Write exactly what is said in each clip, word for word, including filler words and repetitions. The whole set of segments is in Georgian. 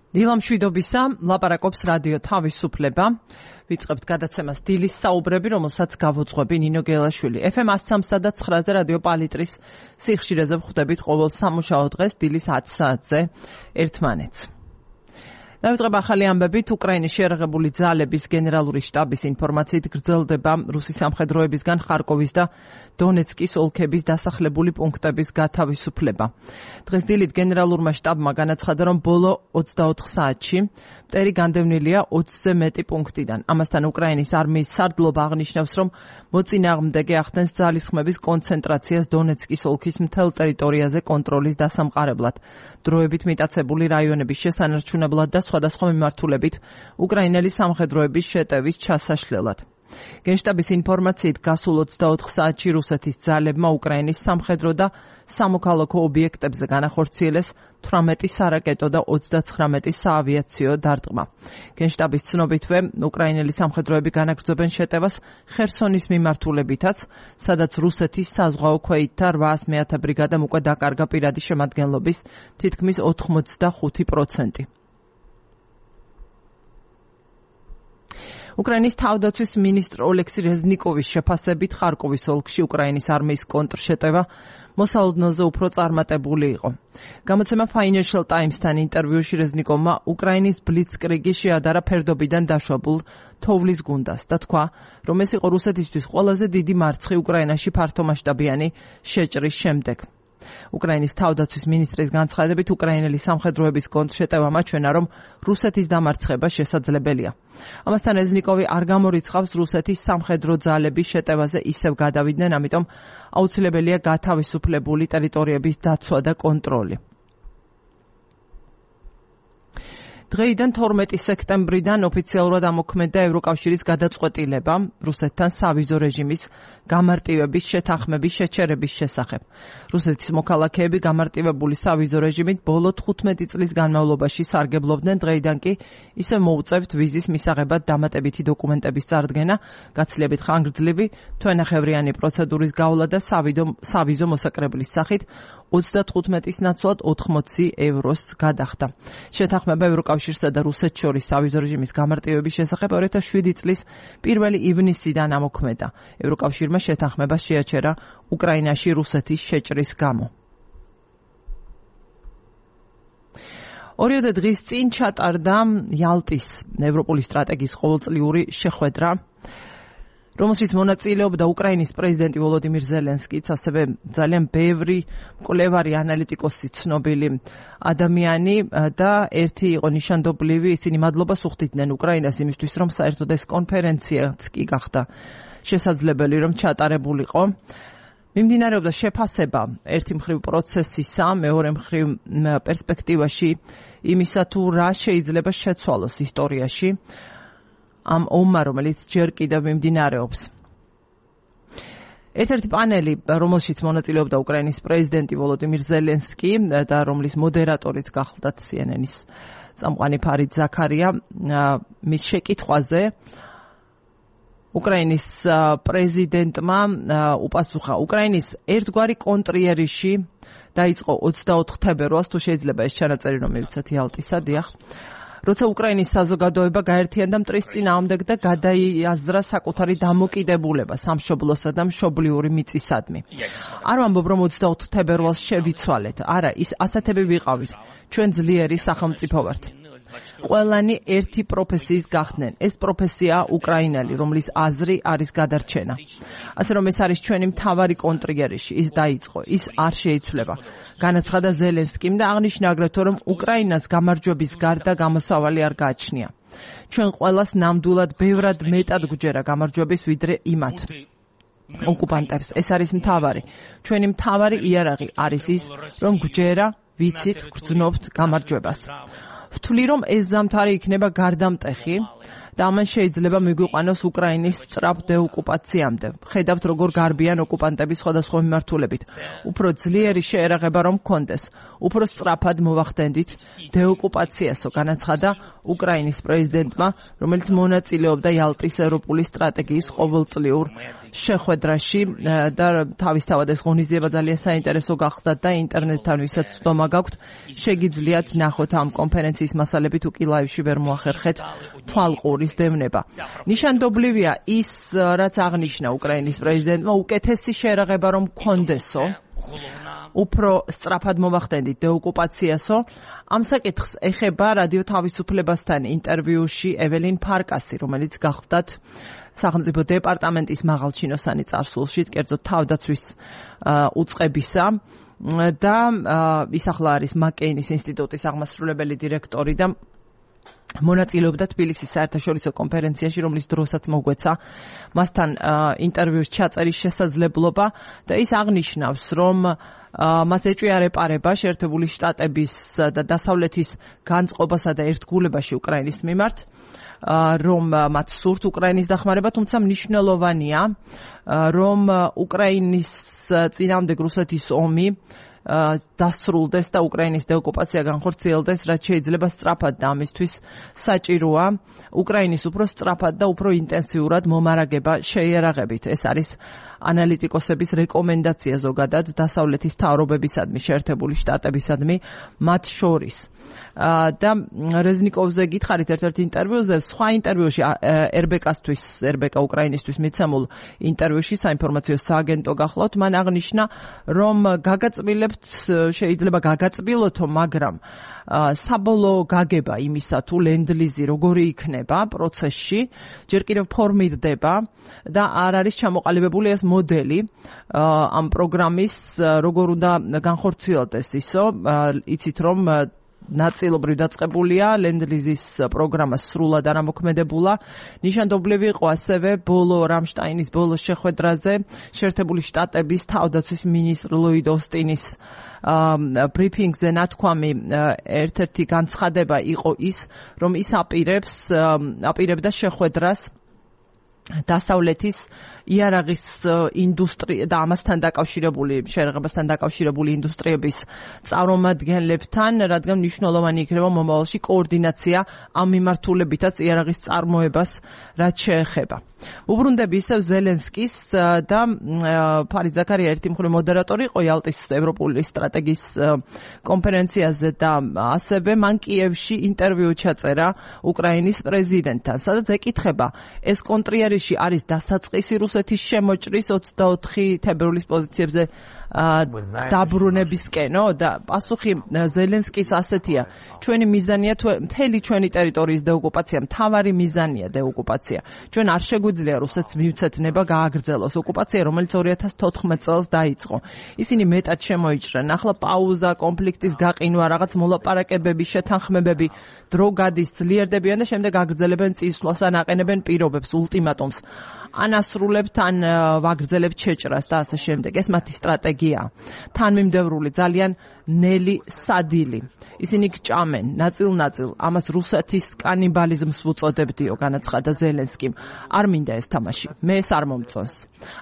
დილამშვიდობისა, ლაპარაკობს რადიო თავისუფლება. ვიწყებთ გადაცემას დილის საუბრები, რომელსაც გავუძღვები ნინო გელაშვილი. ეფ ემ one oh three და nine-ზე რადიო პალიტრის სიხშირეზე ვხვდებით ყოველ სამუშაო დღეს დილის ათი საათზე ერთმანეთს. დავიწყებ ახალი ამბებით. უკრაინის შეიარაღებული ძალების გენერალური შტაბის ინფორმაციით გრძელდება რუსი სამხედროებისგან ხარკოვის და დონეცკის ოლქების დასახლებული პუნქტების გათავისუფლება. დღეს დილით გენერალურმა შტაბმა განაცხადა, რომ ბოლო ოცდაოთხ საათში მტერი განდევნილია ოცზე მეტი პუნქტიდან. ამასთან უკრაინის არმიის სარდლობა აღნიშნავს, რომ მოწინააღმდეგე ახდენს ძალისხმების კონცენტრაციას დონეცკის ოლქის მთელ ტერიტორიაზე კონტროლის დასამყარებლად. დროებით მიტაცებული რაიონების შესანარჩუნებლად და სხვადასხვა მიმართულებით უკრაინელი სამხედროების შეტევის ჩასაშლელად. გენშტაბის ინფორმაციით გასულ ოცდაოთხ საათში რუსეთის ძალებმა უკრაინის სამხედრო და სამოქალაქო ობიექტებზე განახორციელეს თვრამეტი სარაკეტო და ოცდაცხრამეტი საავიაციო დარტყმა. გენშტაბის ცნობითვე უკრაინელი სამხედროები განაგრძობენ შეტევას ხერსონის მიმართულებითაც, სადაც რუსეთის საზღვაო ქვეითთა რვაას მეათე ბრიგადამ უკვე დაკარგა პირადი შემადგენლობის თითქმის ოთხმოცდახუთი პროცენტი. უკრაინის თავდაცვის მინისტრ ოლექსი რეზნიკოვის შეფასებით ხარკოვის ოლქში უკრაინის არმიის კონტრშეტევა მოსალოდნელზე უფრო წარმატებული იყო. გამოცემა Financial Times-თან ინტერვიუში რეზნიკოვმა უკრაინის ბლიცკრიგი შეადარა ფერდობიდან დაშვებულ თოვლის გუნდას და თქვა, რომ ეს იყო რუსეთისთვის ყველაზე დიდი მარცხი უკრაინაში ფართომასშტაბიანი შეჭრის შემდეგ. უკრაინის თავდაცვის მინისტრის განცხადებით, უკრაინელი სამხედროების კონტრშეტევა მაჩვენა, რომ რუსეთის დამარცხება შესაძლებელია. ამასთან რეზნიკოვი არ გამორიცხავს რუსეთის სამხედრო ძალების შეტევაზე ისევ გადავიდნენ, ამიტომ აუცილებელია გათავისუფლებული ტერიტორიების დაცვა და კონტროლი. დღეიდან თორმეტი სექტემბრიდან ოფიციალურად ამოქმედა ევროკავშირის გადაწყვეტილება რუსეთთან სავიზო რეჟიმის გამარტივების შეთანხმების შეჩერების შესახებ. რუსეთის მოქალაქეები გამარტივებული სავიზო რეჟიმით ბოლო თხუთმეტი წლის განმავლობაში სარგებლობდნენ, დღეიდან კი ისე მოუწევთ ვიზის მისაღებად დამატებითი დოკუმენტების წარდგენა, გაცილებით ხანგრძლივი თვენახევრიანი პროცედურის გავლა და სავიზო მოსაკრებლის სახით ოცდათხუთმეტის ნაცვლად ოთხმოცი ევროს გადახდა. შეთანხმება ევროკავშირსა და რუსეთს შორის სავიზო რეჟიმის გამარტივების შესახებ ორი ათას შვიდი წლის პირველი ივნისიდან ამოქმედა. ევროკავშირმა შეთანხმება შეაჩერა უკრაინაში რუსეთის შეჭრის გამო. ორიოდე დღის წინ ჩატარდა იალტის ევროპული სტრატეგიის ყოველწლიური შეხვედრა, რომელშიც მონაწილეობდა უკრაინის პრეზიდენტი ვოლოდიმირ ზელენსკიც, ასევე ძალიან ბევრი მკვლევარი, ანალიტიკოსი, ცნობილი ადამიანი და ერთი იყო ნიშანდობლივი, ისინი მადლობას უხდიდნენ უკრაინას იმისთვის, რომ საერთოდ ეს კონფერენციაც კი გახდა შესაძლებელი, რომ ჩატარებულიყო. მიმდინარეობდა შეფასება ერთი მხრივ პროცესისა, მეორე მხრივ პერსპექტივაში იმისა, თუ რა შეიძლება შეცვალოს ისტორიაში ამ ომმა, რომელიც ჯერ კიდევ მიმდინარეობს. ერთ-ერთი პანელი, რომელშიც მონაწილეობდა უკრაინის პრეზიდენტი ვოლოდიმირ ზელენსკი და რომლის მოდერატორიც გახლდათ C N N-ის წამყვანი ფარიდ ზაქარია, მის შეკითხვაზე უკრაინის პრეზიდენტმა უპასუხა, უკრაინის ერთგვარი კონტრიერიში დაიწყო ოცდაოთხ თებერვალს, თუ შეიძლება ეს ჩანაწერი რომ მივცეთ იალტისა, დიახ. როცა უკრაინის საზოგადოება გაერთიანდა მტრის წინააღმდეგ და გადაიაზრა საკუთარი დამოკიდებულება სამშობლოსა და მშობლიური მიწისადმი. არ ვამბობ, რომ ოცდაოთხ თებერვალს შევიცვალეთ. არა, ის ასათები ვიყავით. ჩვენ ძლიერი სახელმწიფო ვართ. ყველანი ერთი პროფესიის გახდნენ. ეს პროფესიაა უკრაინელი, რომლის აზრი არის გადარჩენა. ასე რომ ეს არის ჩვენი მთავარი კონტრიერიში, ის დაიწყო, ის არ შეიცვლება. განაცხადა ზელენსკიმ და აღნიშნა აგრეთვე, რომ უკრაინას გამარჯვების გარდა გამოსავალი არ გააჩნია. ჩვენ ყველას ნამდვილად ბევრად მეტად გვჯერა გამარჯვების ვიდრე იმათ ოკუპანტებს. ეს არის მთავარი. ჩვენი მთავარი იარაღი არის ის, რომ გვჯერა, ვიცით, გრძნობთ გამარჯვებას. ვთვლი, რომ ეს ზამთარი იქნება გარდამტეხი და ამან შეიძლება მიგვიყვანოს უკრაინის სწრაფ დეოკუპაციამდე. ხედავთ, როგორ გარბიან ოკუპანტები სხვადასხვა მიმართულებით. უფრო ძლიერი შეერაღება რომ გქონდეს, უფრო სწრაფად მოვახდენდით დეოკუპაციასო, განაცხადა უკრაინის პრეზიდენტმა, რომელიც მონაწილეობდა იალტის ევროპული სტრატეგიის ყოველწლიურ შეხვედრაში და თავისთავად ეს ღონისძიება ძალიან საინტერესო გახდა და ინტერნეტთან ვისაც ცდომა გაქვთ შეგიძლიათ ნახოთ ამ კონფერენციის მასალები თუ კი ლაივში ვერ მოახერხეთ თვალყურის დევნება. ნიშანდობლივია ის რაც აღნიშნა უკრაინის პრეზიდენტმა უკეთესი შერაღება რომ გქონდესო უფრო სწრაფად მოვახდენდით დეოკუპაციასო. ამ საკითხს ეხება რადიო თავისუფლებასთან ინტერვიუში ეველინ ფარკასი, რომელიც გახლდათ სახელმწიფო დეპარტამენტის მაღალჩინოსანი წარსულში, კერძოდ თავდაცვის უწყებისა და ის ახლა არის მაკეინის ინსტიტუტის აღმასრულებელი დირექტორი და მონაწილეობდა თბილისის საერთაშორისო კონფერენციაში, რომლის დროსაც მოგვეცა მასთან ინტერვიუს ჩაწერის შესაძლებლობა და ის აღნიშნავს, რომ მას ეჭვია რეპარება შეერთებული შტატების და დასავლეთის განწყობასა და ერთგულებაში უკრაინის მიმართ, რომ მათ სურთ უკრაინის დახმარება, თუმცა მნიშვნელოვანია, რომ უკრაინის წინააღმდეგ რუსეთის ომი დასრულდეს და უკრაინის დეოკუპაცია განხორციელდეს, რაც შეიძლება სწრაფად და ამისთვის საჭიროა უკრაინის უფრო სწრაფად და უფრო ინტენსიურად მომარაგება შეიარაღებით. ეს არის ანალიტიკოსების რეკომენდაცია ზოგადად დასავლეთის მთავრობებისადმი, შეერთებული შტატებისადმი მათ შორის. და რეზნიკოვზე გითხარით ერთ-ერთ ინტერვიუზე, სხვა ინტერვიუში ერბეკასთვის, ერბეკა უკრაინისტვის მიცემულ ინტერვიუში საინფორმაციო სააგენტო გახლავთ, მან აღნიშნა, რომ გაგაწბილებთ, შეიძლება გაგაწბილოთო, მაგრამ საბოლოო გაგება იმისა თუ ლენდლიზი როგორი იქნება პროცესში, ჯერ კიდევ ფორმირდება და არ არის ჩამოყალიბებული ეს მოდელი ამ პროგრამის, როგორ უნდა განხორციელდეს ისო, იცით რომ ნაწილობრივ დაწყებულია ლენდლიზის პროგრამა სრულად არამოქმედებულა. ნიშანდობლივი იყო ასევე ბოლო რამშტაინის ბოლო შეხვედრაზე შეერთებული შტატების თავდაცვის მინისტრ ლოიდ ოსტინის ბრიფინგზე ნათქვამი ერთ-ერთი განცხადება იყო ის, რომ ის აპირებს აპირებდა შეხვედრას დასავლეთის იარაღის ინდუსტრია და ამასთან დაკავშირებული შეერაღებასთან დაკავშირებული ინდუსტრიების წარმომადგენლებთან, რადგან მნიშვნელოვანი იქნება მომავალში კოორდინაცია ამ მიმართულებითაც იარაღის წარმოებას რაც შეეხება. უბრუნდები ისევ ზელენსკის და ფარიდ ზაქარია ერთი მხრივ მოდერატორი იყო იალტის ევროპული სტრატეგიის კონფერენციაზე და ასევე მან კიევში ინტერვიუ ჩაწერა უკრაინის პრეზიდენტთან, სადაც ეკითხება ეს კონტრიერიში არის დასაწყისი რუსეთის შემოჭრის ოცდაოთხი თებერვლის პოზიციებზე დაბრუნებისკენო და პასუხი ზელენსკის ასეთია, ჩვენი მიზანია მთელი ჩვენი ტერიტორიის დეოკუპაცია, მთავარი მიზანია დეოკუპაცია. ჩვენ არ შეგვიძლია რუსეთს მივცეთ ნება გააგრძელოს ოკუპაცია, რომელიც ორი ათას თოთხმეტ წელს დაიწყო. ისინი მეტად შემოიჭრენ. ახლა პაუზა, კონფლიქტის გაყინვა, რაღაც მოლაპარაკებები, შეთანხმებები, დრო გადის, ძლიერდებიან და შემდეგ აგრძელებენ წინსვლას ან აყენებენ პირობებს, ულტიმატუმს. ან ასრულებთ, ან ვაგრძელებთ შეჭრას და ასე შემდეგ. ეს მათი სტრატეგია. თანმიმდევრული, ძალიან ნელი, სადილი. ისინი გჭამენ ნაწილ-ნაწილ. ამას რუსეთის კანიბალიზმს ვუწოდებდიო, განაცხადა ზელენსკიმ. არ მინდა ეს თამაში. მე ეს არ მომწონს.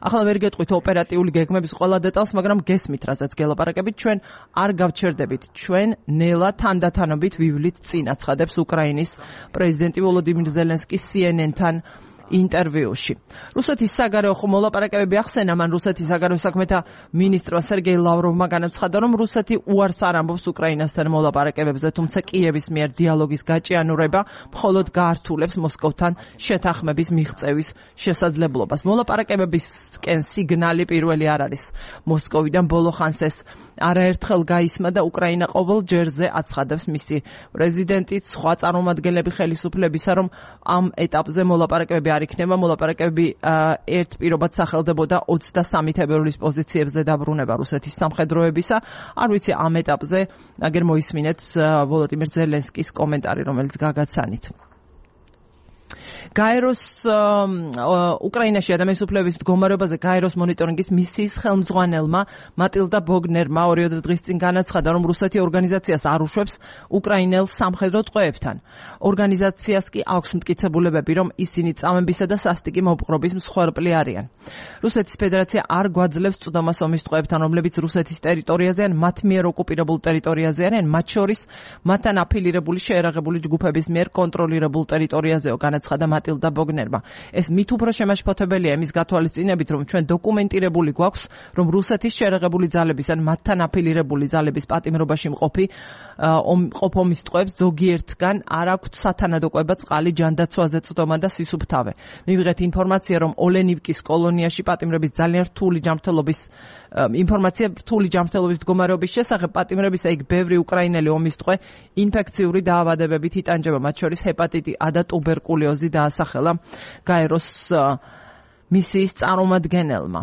ახლა ვერ გეტყვით ოპერატიული გეგმების ყველა დეტალს, მაგრამ გესმით, რასაც გელაპარაკებით, ჩვენ არ გავჩერდებით. ჩვენ ნელა თანდათანობით ვივლით წინ, აცხადებს უკრაინის პრეზიდენტი ვოლოდიმირ ზელენსკი C N N-თან ინტერვიუში. რუსეთის საგარეო მოლაპარაკებები ახსენა, მან რუსეთის საგარეო საქმეთა მინისტრმა სერგეი ლავროვმა განაცხადა, რომ რუსეთი უარს არ ამბობს უკრაინასთან მოლაპარაკებებზე, თუმცა კიევის მიერ დიალოგის გაჭიანურება მხოლოდ გაართულებს მოსკოვთან შეთანხმების მიღწევის შესაძლებლობას. მოლაპარაკებებისკენ სიგნალი პირველი არ არის მოსკოვიდან, ბოლო ხანს ეს არაერთხელ გაისმა და უკრაინა ყოველ ჯერზე აცხადებს მისი პრეზიდენტიც, სხვა წარმომადგენლები ხელისუფლებისა, რომ ამ ეტაპზე მოლაპარაკებები არ იქნება, მოლაპარაკებები ერთ პირობად სახელდებოდა ოცდასამი თებერვლის პოზიციებზე დაბრუნება რუსეთის სამხედროებისა. არ ვიცი ამ ეტაპზე აგერ მოისმინეთ ვოლოდიმირ ზელენსკის კომენტარი, რომელიც გაგაცანით. გაეროს უკრაინაში ადამიანის უფლებების მდგომარეობაზე გაეროს მონიტორინგის მისიის ხელმძღვანელმა მატილდა ბოგნერმა ორი დღის წინ განაცხადა, რომ რუსეთი ორგანიზაციას არ უშვებს უკრაინელ სამხედრო ტყვეებთან. ორგანიზაციას კი აქვს მტკიცებულებები, რომ ისინი წამებისა და სასტიკი მოპყრობის მსხვერპლი არიან. რუსეთის ფედერაცია არ გვაძლევს წვდომას ომის ტყვეებთან, რომლებიც რუსეთის ტერიტორიაზე ან მათ მიერ ოკუპირებულ ტერიტორიაზე არიან, მათ შორის მათთან აფილირებული შეერაღებული ჯგუფების მიერ კონტროლირებულ ტერიტორიაზეო, განაცხადა მატილდა ბოგნერმა. ეს მით უფრო შემაშფოთებელია იმის გათვალისწინებით, რომ ჩვენ დოკუმენტირებული გვაქვს, რომ რუსეთის შერეღებული ძალების ან მათთან აფილირებული ძალების პატიმრობაში მყოფი ყოფ ომის ტყვეებს ზოგიერთგან არ აქვთ სათანადო კვება, წყალი, ჯანდაცვაზე წვდომა და სისუფთავე. მივიღეთ ინფორმაცია, რომ ოლენივკის კოლონიაში პატიმრების ძალიან რთული ჯანმრთელობის ინფორმაცია რთული ჯანმრთელობის მდგომარეობის შესახებ პატიმრებისა იქ ბევრი უკრაინელი ომის ტყვე ინფექციური დაავადებებით იტანჯება, მათ შორის ჰეპატიტი A და ტუბერკულოზი დაასახელა გაეროს მისიის წარმომადგენელმა.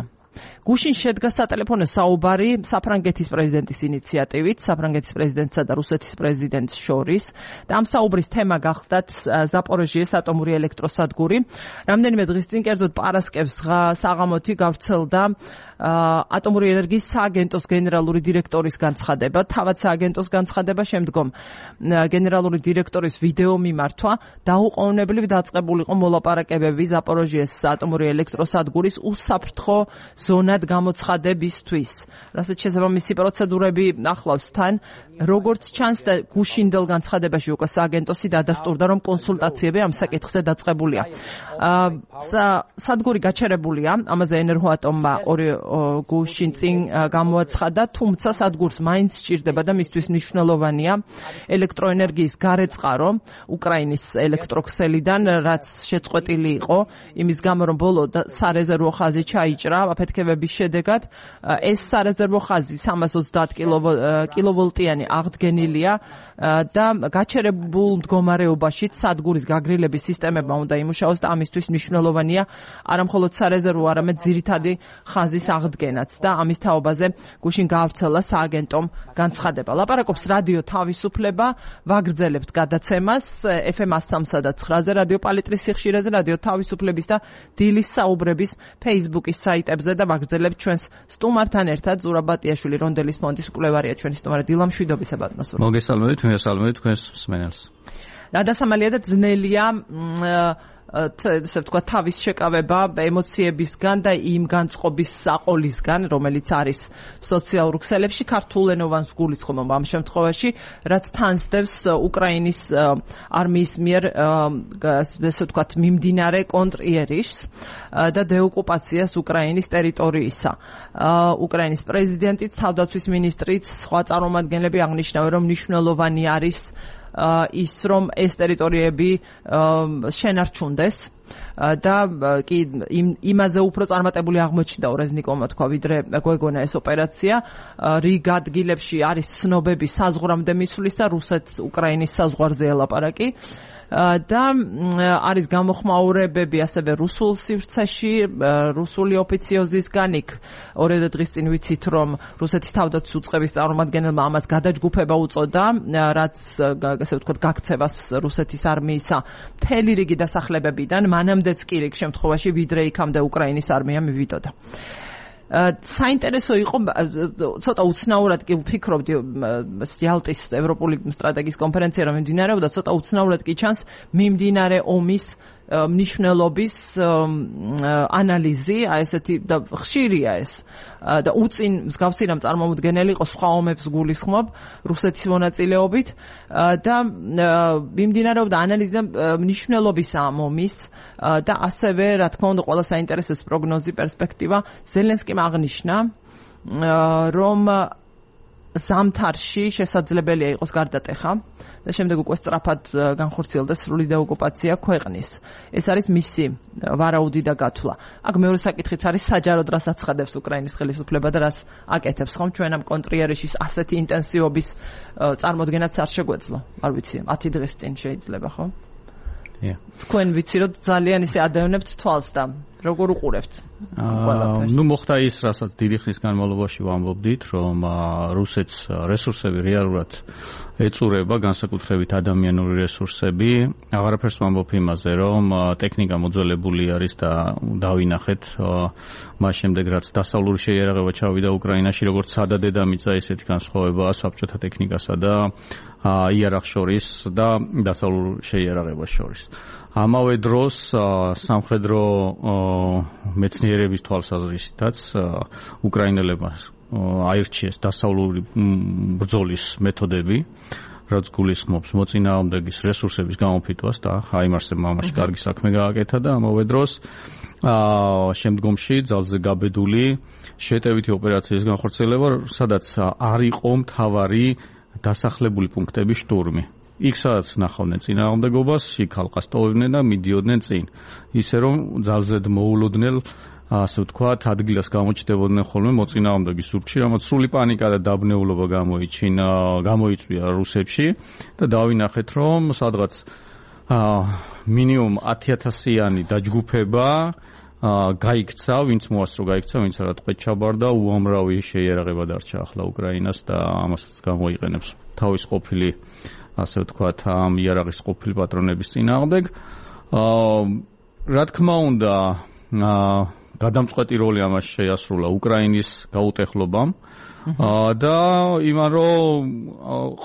გუშინ შედგა სატელეფონო საუბარი საფრანგეთის პრეზიდენტის ინიციატივით, საფრანგეთის პრეზიდენტსა და რუსეთის პრეზიდენტს შორის და ამ საუბრის თემა გახდათ ზაპოროჟიეს ატომური ელექტროსადგური. რამდენიმე დღის წინ კერძოდ პარასკევს საღამოთი გავრცელდა ატომური ენერგიის სააგენტოს გენერალური დირექტორის განცხადება, თავად სააგენტოს განცხადება, შემდგომ გენერალური დირექტორის ვიდეო მიმართვა, დაუყოვნებლივ დაწყებული იყო მოლაპარაკებები ზაპოროჟიეს ატომური ელექტროსადგურის უსაფრთხო ზონად გამოცხადებისთვის. რასაც შესაბამისი პროცედურები ახლავს თან, როგორც ჩანს და გუშინდელ განცხადებაში უკვე სააგენტოსი დადასტურდა, რომ კონსულტაციები ამ საკითხზე დაწყებულია. სადგური გაჩერებულია, ამაზე ენერგოატომმა ორი გუშინ წინ გამოაცხადა, თუმცა სადგურს მაინც სჭირდება და მისთვის მნიშვნელოვანია ელექტროენერგიის გარეწყარო უკრაინის ელექტროქსელიდან, რაც შეწყვეტილი იყო იმის გამო, რომ ბოლო სარეზერვო ხაზი ჩაიჭრა აფეთქებების შედეგად. ეს სარეზერვო ხაზი სამას ოცდაათ კილოვოლტიანი აღდგენილია და გაჩერებულ მდგომარეობაში სადგურის გაგრილების სისტემებმა უნდა იმუშაოს და ამისთვის მნიშვნელოვანია არამხოლოდ სარეზერვო, არამედ ძირითადი ხაზის აღდგენაც და ამის თაობაზე გუშინ გაავრცელა სააგენტომ განცხადება. ლაპარაკობს რადიო თავისუფლება, ვაგრძელებთ გადაცემას F M one oh three და nine-ზე, რადიო პალიტრის სიხშირეზე, რადიო თავისუფლების და დილის საუბრების Facebook-ის საიტებზე და ვაგრძელებთ ჩვენს სტუმართან ერთად. ზურაბ ბატიაშვილი, რონდელის ფონდის კვლევარია, ჩვენი სტუმარი დილა მშვიდობისა ბატონო. მოგესალმებით, მოგესალმებით თქვენს მსმენელს. გადასამალია და ძნელია ესე ვთქვა თავის შეკავება ემოციებისგან და იმ განწყობის საყოლისგან, რომელიც არის სოციალურ ქსელებში ქართულენოვანს გულისხმობ ამ შემთხვევაში, რაც თანსდევს უკრაინის არმიის მიერ ესე ვთქვათ მიმდინარე კონტრიერიშს და დეოკუპაციას უკრაინის ტერიტორიისა. უკრაინის პრეზიდენტიც, თავდაცვის ministrიც, სხვა წარმომადგენლები აღნიშნავენ, რომ მნიშვნელოვანი არის ის, რომ ეს ტერიტორიები შენარჩუნდეს და კი იმაზე უფრო წარმატებული აღმოჩნდა ორეზნიკოვმა თქვა, ვიდრე გვეგონა ეს ოპერაცია. რიგ ადგილებში არის ცნობები საზღვრამდე მისვლის და რუსეთ-უკრაინის საზღვარზე ელაპარაკი. და არის გამოხმაურებები ასევე რუსულ სივრცეში, რუსული ოფიციოზისგან. იქ ორ-ორი დღის წინ ვიცით, რომ რუსეთის თავდაცვის უწყების წარმომადგენელმა ამას გადაჯგუფება უწოდა, რაც ასე ვთქვათ გაქცევას რუსეთის არმიისა მთელი რიგი დასახლებებიდან, მანამდეც კი რიგ შემთხვევაში, ვიდრე იქამდე უკრაინის არმია მივიდოდა. საინტერესო იყო, ცოტა უცნაურად კი ვფიქრობდი, იალტის ევროპული სტრატეგიის კონფერენცია რომ მიმდინარეობდა, ცოტა უცნაურად კი ჩანს მიმდინარე ომის მნიშვნელობის ანალიზი, აი ესეთი და ხშირია ეს და უწინ მსგავსი რამ წარმომადგენელი იყო სხვა ომებს გულისხმობ რუსეთის მონაწილეობით და მიმდინარეობდა ანალიზი და მნიშვნელობის ამ ომის და ასევე რა თქმა უნდა ყველა საინტერესოს პროგნოზი, პერსპექტივა. ზელენსკიმ აღნიშნა, რომ ზამთარში შესაძლებელია იყოს გარდატეხა და შემდეგ უკვე სწრაფად განხორციელდეს სრული დეოკუპაცია ქვეყნის. ეს არის მისი ვარაუდი და გათვლა. აქ მეორე საკითხიც არის საჯაროდ რას აცხადებს უკრაინის ხელისუფლება და რას აკეთებს, ხომ ჩვენ ამ კონტრიერიშის ასეთი ინტენსივობის წარმოდგენაც არ შეგვეძლო. არ ვიცი, ათი დღის წინ შეიძლება, ხო? თქვენ ვიცი, რომ ძალიან ისე ადევნებთ თვალს და როგორ უყურებთ? ნუ მოხდა ის, რასაც დიდი ხნის განმავლობაში ვამბობდით, რომ რუსეთს რესურსები რეალურად ეწურება, განსაკუთრებით ადამიანური რესურსები. აღარაფერს ვამბობ იმაზე, რომ ტექნიკა მოძველებული არის და დავინახეთ მას შემდეგ, რაც დასავლური შეიარაღება ჩავიდა უკრაინაში, როგორც სადა დედამიწა, ესეთი განსხვავებაა საბჭოთა ტექნიკასა და იარაღს შორის და დასავლურ შეიარაღებას შორის. ამავე დროს სამხედრო მეცნიერების თვალსაზრისითაც უკრაინელებმა აირჩიეს დასავლური ბრძოლის მეთოდები რაც გულისხმობს მოწინააღმდეგის რესურსების გამოფიტვას და აიმარსებმა მამაში კარგი საქმე გააკეთა და ამავე დროს აა შემდგომში ძალზე გაბედული შეტევითი ოპერაციის განხორციელება, სადაც არ იყო მთავარი დასახლებული პუნქტების შტურმი. იქ სადაც ნახავდნენ წინააღმდეგობას, იქ ალყას ტოვებდნენ და მიდიოდნენ წინ. ისე რომ ძალზედ მოულოდნელ ასე ვთქვათ, ადგილას გამოჩნდებოდნენ ხოლმე მოწინააღმდეგის ზურგში, რამაც სრული პანიკა და დაბნეულობა გამოიჩინა, გამოიწვია რუსებში და დავინახეთ, რომ სადღაც მინიმუმ ათი ათასიანი დაჯგუფება გაიქცა, ვინც მოასწრო გაიქცა, ვინც არა ტყვედ ჩაბარდა, უამრავი შეიარაღება დარჩა ახლა უკრაინას და ამასაც გამოიყენებს თავის ყოფილი, ასე ვთქვათ, ამ იარაღის ყოფილი პატრონების წინააღმდეგ. რა თქმა უნდა, გადამწყვეტი როლი ამას შეასრულა უკრაინის გაუტეხლობამ და იმან რომ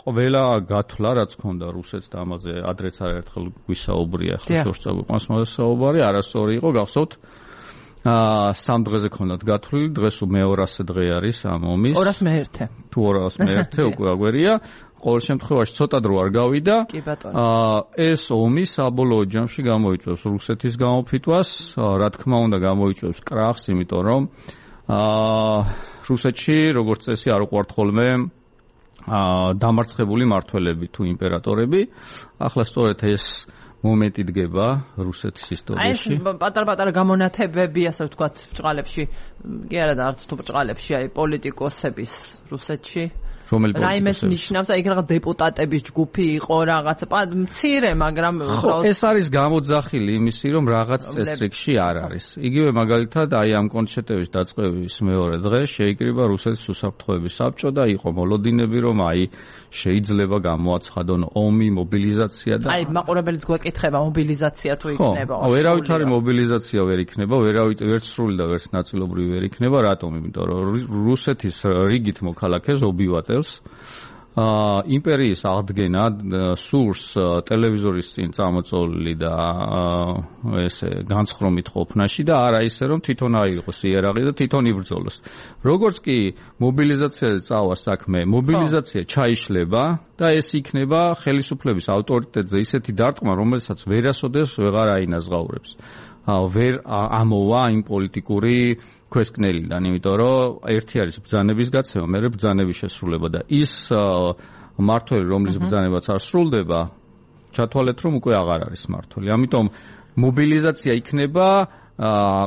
ყველა გათვლა რაც ჰქონდა რუსეთს და ამაზე ადრეც არაერთხელ გვისაუბრია ახლა შორსწავლყვანს მოსაუბარი არასწორი იყო გახსოვთ სამ დღეზე ქონდათ გათვლილი დღეს მეორასე დღე არის ამ ომის ორას მეერთე თუ ორას მეერთე უკვე აგვერია ყოველ შემთხვევაში ცოტა დრო არ გავიდა ეს ომი საბოლოო ჯამში გამოიწვევს რუსეთის გამოფიტვას რა თქმა უნდა გამოიწვევს კრახს იმიტომ რომ რუსეთში როგორც წესი არ უყვართ ხოლმე დამარცხებული მმართველები თუ იმპერატორები ახლა სწორედ ეს მომენტი დგება რუსეთის ისტორიაში. აი პატარ-პატარა გამონათებები, ასე ვთქვათ, ბრჭყალებში, კი არა და არც თუ ბრჭყალებში, აი პოლიტიკოსების რუსეთში. რომელი რაიმეს ნიშნავს, აი რაღაც დეპუტატების ჯგუფი იყო, რაღაც მცირე, მაგრამ ეს არის გამოძახილი იმისი, რომ რაღაც წესრიგში არ არის. იგივე მაგალითად, აი ამ კონცერტების დაწყების მეორე დღე შეიკრიბა რუსეთის უსაფრთხოების საბჭო და იყო მოლოდინები, რომ აი შეიძლება გამოაცხადონ ომი, მობილიზაცია და აი მაყურებელიც გვეკითხება მობილიზაცია თუ იქნება. ხო, ვერავით არის მობილიზაცია ვერ იქნება, ვერავით ვერც სრული და ვერც ნაწილობრივი ვერ იქნება, რატომ? იმიტომ რომ რუსეთის რიგით მოქალაქეს ობივატელს აა იმპერიის აღდგენა სურს ტელევიზორის წინ წამოწოლილი და ესე განცხრომით ყოფნაში და არა ისე რომ თვითონ აიღოს იარაღი და თვითონ იბრძოლოს. როგორც კი მობილიზაციაზე წავა საქმე, მობილიზაცია ჩაიშლება და ეს იქნება ხელისუფლების ავტორიტეტზე ისეთი დარტყმა, რომელსაც ვერასოდეს ვეღარ აინაზღაურებს. ვერ ამოვა იმ პოლიტიკური ქვესკნელიდან, იმიტომ რომ ერთი არის ბრძანების გაცემა, მეორე ბრძანების შესრულება და ის მმართველი, რომლის ბრძანებაც არ სრულდება, ჩათვალეთ, რომ უკვე აღარ არის მმართველი. ამიტომ მობილიზაცია იქნება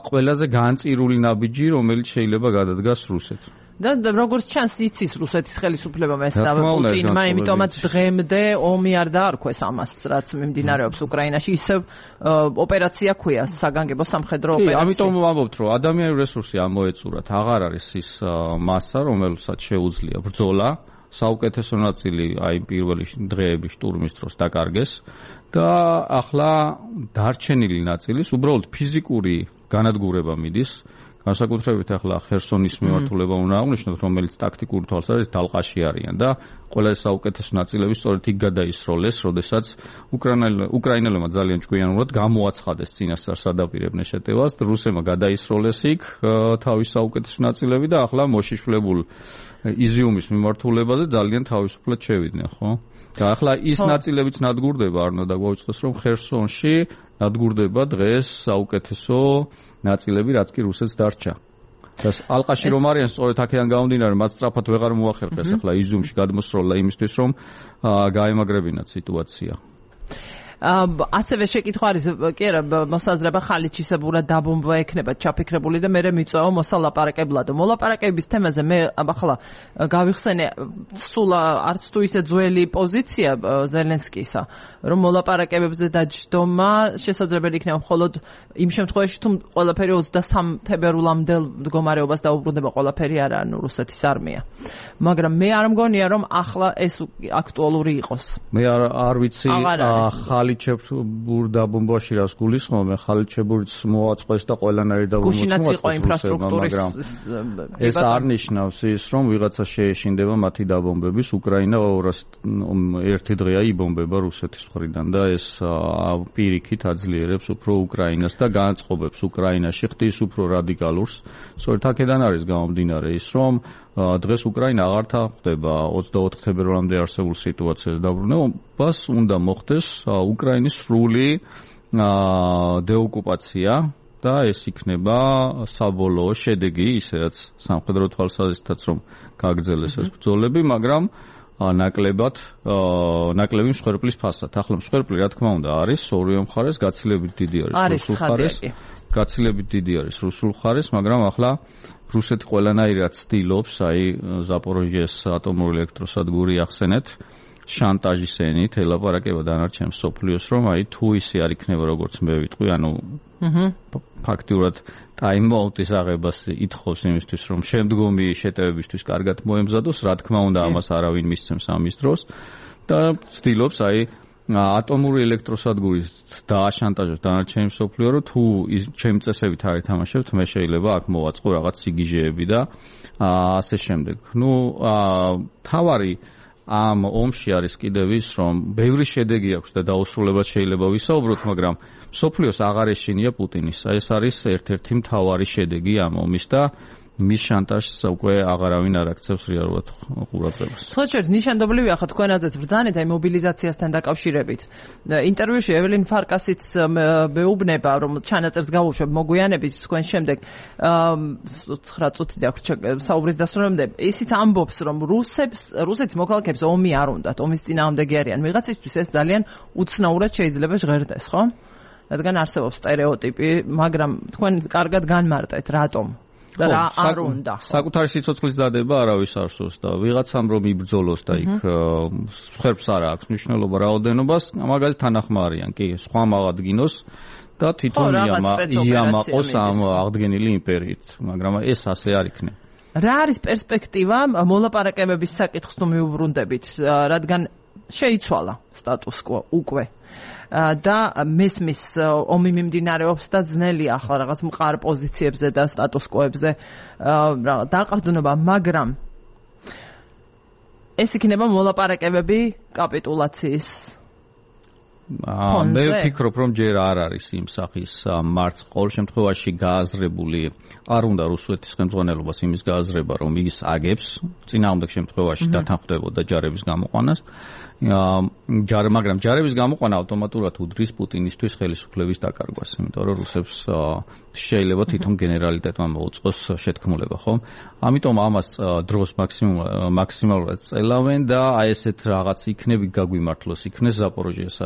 ყველაზე განწირული ნაბიჯი, რომელიც შეიძლება გადადგას რუსეთს. და როგორც ჩანს იცის რუსეთის ხელისუფლებამ ეს და პუტინმა, იმიტომაც დღემდე ომი არ დაარქვეს ამას, რაც მიმდინარეობს უკრაინაში, ისევ ოპერაცია ქვია, საგანგებო სამხედრო ოპერაცია. ამიტომ ვამბობთ, რომ ადამიანური რესურსი ამოეწურათ, აღარ არის ის მასა, რომელსაც შეუძლია ბრძოლა. საუკეთესო ნაწილი აი პირველი დღეების შტურმის დროს დაკარგეს და ახლა დარჩენილი ნაწილის უბრალოდ ფიზიკური განადგურება მიდის. განსაკუთრებით ახლა ხერსონის მიმართულება უნდა აღნიშნოთ, რომელიც ტაქტიკური თვალსაზრისით დალყაში არიან და ყველა ეს საუკეთესო ნაწილები სწორედ იქ გადაისროლეს, როდესაც უკრაინელებმა ძალიან ჭკვიანურად გამოაცხადეს წინასწარ სადაპირებნე შეტევას, რუსებმა გადაისროლეს იქ თავის საუკეთესო ნაწილები და ახლა მოშიშვლებულ იზიუმის მიმართულებაზე ძალიან თავისუფლად შევიდნენ, ხო? და ახლა ის ნაწილებიც ნადგურდება, არ უნდა დაგვაუწყდეს, რომ ხერსონში ნადგურდება დღეს საუკეთესო ნაწილები, რაც კი რუსეთს დარჩა. და ალყაში რომ არიან, სწორედ აქედან გამომდინარე, მათ სწრაფად ვეღარ მოახერხეს ახლა იზიუმში გადმოსროლა იმისთვის, რომ გაემაგრებინათ სიტუაცია. ასევე შეკითხვა არის, კი არა, მოსაზრება ხალიჩისებურად დაბომბვა ექნება ჩაფიქრებული და მე მიწვევა მოსალაპარაკებლად. მოლაპარაკების თემაზე მე ახლა გავიხსენე სულ არც თუ ისე ძველი პოზიცია ზელენსკისა, რომ მოლაპარაკებებზე დაჯდომა შესაძლებელი იქნება მხოლოდ იმ შემთხვევაში, თუ ყველაფერი ოცდასამ თებერვლამდე მდგომარეობას დაუბრუნდება ყველაფერი არა, ანუ რუსეთის არმია. მაგრამ მე არ მგონია, რომ ახლა ეს აქტუალური იყოს. მე არ არ ვიცი ხალიჩებურ დაბომბვაში რას გულისხმობ, მე ხალიჩებურიც მოაწყეს და ყველანაირი დაბომბვა გუშინაც იყო ინფრასტრუქტურის ეს არ ნიშნავს ის, რომ ვიღაცა შეეშინდება მათი დაბომბების. უკრაინა ერთი დღეა იბომბება რუსეთის მხრიდან და ეს პირიქით აძლიერებს უფრო უკრაინას და განწყობებს უკრაინაში ხდის უფრო რადიკალურს. სწორედ აქედან არის გამომდინარე ის, რომ დღეს უკრაინა აღარ თანხმდება ოცდაოთხ თებერვალამდე არსებულ სიტუაციას დაბრუნებას, უნდა მოხდეს უკრაინის სრული დეოკუპაცია და ეს იქნება საბოლოო შედეგი, ისედაც სამხედრო თვალსაზრისითაც რომ გაგრძელეს ეს ბრძოლები, მაგრამ ნაკლებად ნაკლები მსხვერპლის ფასად. ახლა მსხვერპლი რა თქმა უნდა არის ორივე მხარეს, გაცილებით დიდი არის რუსულ მხარეს, გაცილებით დიდი არის რუსულ მხარეს, მაგრამ ახლა რუსეთი ყველანაირად ცდილობს, აი ზაპოროჟიეს ატომური ელექტროსადგური ახსენეთ, შანტაჟის ენით ელაპარაკება დანარჩენ მსოფლიოს, რომ აი თუ ისე არ იქნება როგორც მე ვიტყვი, ანუ ფაქტიურად ტაიმაუტის აღებას ითხოვს იმისთვის, რომ შემდგომი შეტევებისთვის კარგად მოემზადოს, რა თქმა უნდა ამას არავინ მისცემს ამის დროს და ცდილობს აი ატომური ელექტროსადგურის დააშანტაჟოს დანარჩენი მსოფლიო, რომ თუ ჩემი წესებით არ ეთამაშებთ, მე შეიძლება აქ მოვაწყო რაღაც სიგიჟეები და ასე შემდეგ. ნუ თავარი ამ ომში არის კიდევ ის, რომ ბევრი შედეგი აქვს და დაუსრულებლად შეიძლება ვისაუბროთ, მაგრამ მსოფლიოს აღარ ეშინია პუტინის. ეს არის ერთ-ერთი მთავარი შედეგი ამ ომის და მის შანტაჟს უკვე აღარავინ არ აქცევს რეალურად ყურადღებას. ხოჭერს ნიშანდობლივია ხო თქვენაზეც ბრძანეთ აი მობილიზაციასთან დაკავშირებით. ინტერვიუში ეველინ ფარკასიც მეუბნება, რომ ჩანაწერს გავუშვებ მოგვიანებით თქვენ შემდეგ ცხრა წუთი აქვს საუბრის დასრულებამდე. ისიც ამბობს, რომ რუსებს რუსეთის მოქალაქეებს ომი არ უნდათ, ომის წინააღმდეგი არიან. ვიღაცისთვის ეს ძალიან უცნაურად შეიძლება ჟღერდეს, ხო? რადგან არსებობს სტერეოტიპი, მაგრამ თქვენ კარგად განმარტეთ, რატომ? და რა არ უნდა. საკუთარი სიცოცხლის დადება არავის არ სურს და ვიღაცამ რომ იბრძოლოს და იქ ხერფს არ აქვს მნიშვნელობა რაოდენობას, მაგაზე თანახმარიან, კი, სხვა აღადგინოს და თვითონ იამაყოს ამ აღდგენილი იმპერიით, მაგრამ ეს ასე არ იქნება. რა არის პერსპექტივა მოლაპარაკებების საკითხს თუ მიუბრუნდებით, რადგან შეიცვალა სტატუს კვო უკვე. და მესმის ომი მიმდინარეობს და ძნელია ახლა რაღაც მყარ პოზიციებზე და სტატუს კოებზე დაყრდნობა, მაგრამ ეს იქნება მოლაპარაკებები კაპიტულაციის მე ვფიქრობ, რომ ჯერ არ არის იმ სახის მარცხ ყოველ შემთხვევაში გააზრებული, არ უნდა რუსეთის ხელმძღვანელობას იმის გააზრება, რომ ის აგებს წინააღმდეგ შემთხვევაში დათანხმდებოდა ჯარების გამოყვანას. ჯარ, მაგრამ ჯარების გამოყვანა ავტომატურად უდრის პუტინისთვის ხელისუფლების დაკარგვას, იმიტომ რომ რუსებს შეიძლება თვითონ გენერალიტეტმა მოუწყოს შეთქმულება, ხო? ამიტომ ამას დროს მაქსიმალურად წელავენ და აი ესეთ რაღაც იქნები გაგვიმართლოს, იქნეს ზაპოროჟიეს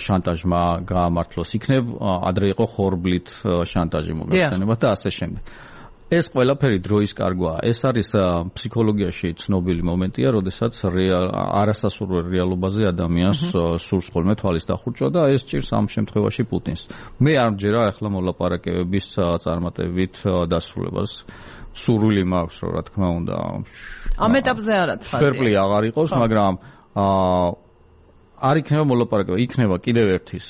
შანტაჟმა გაამართლოს, იქნებ ადრე იყო ხორბლით შანტაჟი მოგეხსენება და ასე შემდეგ. ეს ყველაფერი დროის კარგვაა. ეს არის ფსიქოლოგიაში ცნობილი მომენტია, როდესაც არასასურველ რეალობაზე ადამიანს სურს ხოლმე თვალის დახურჭვა და ეს ჭირს ამ შემთხვევაში პუტინს. მე არ მჯერა ახლა მოლაპარაკებების წარმატებით დასრულებას. სურვილი მაქვს, რა თქმა უნდა. ამ ეტაპზე არაც ხარ. სპერპლი აღარ იყოს, მაგრამ არ იქნება მოლაპარაკება, იქნება კიდევ ერთის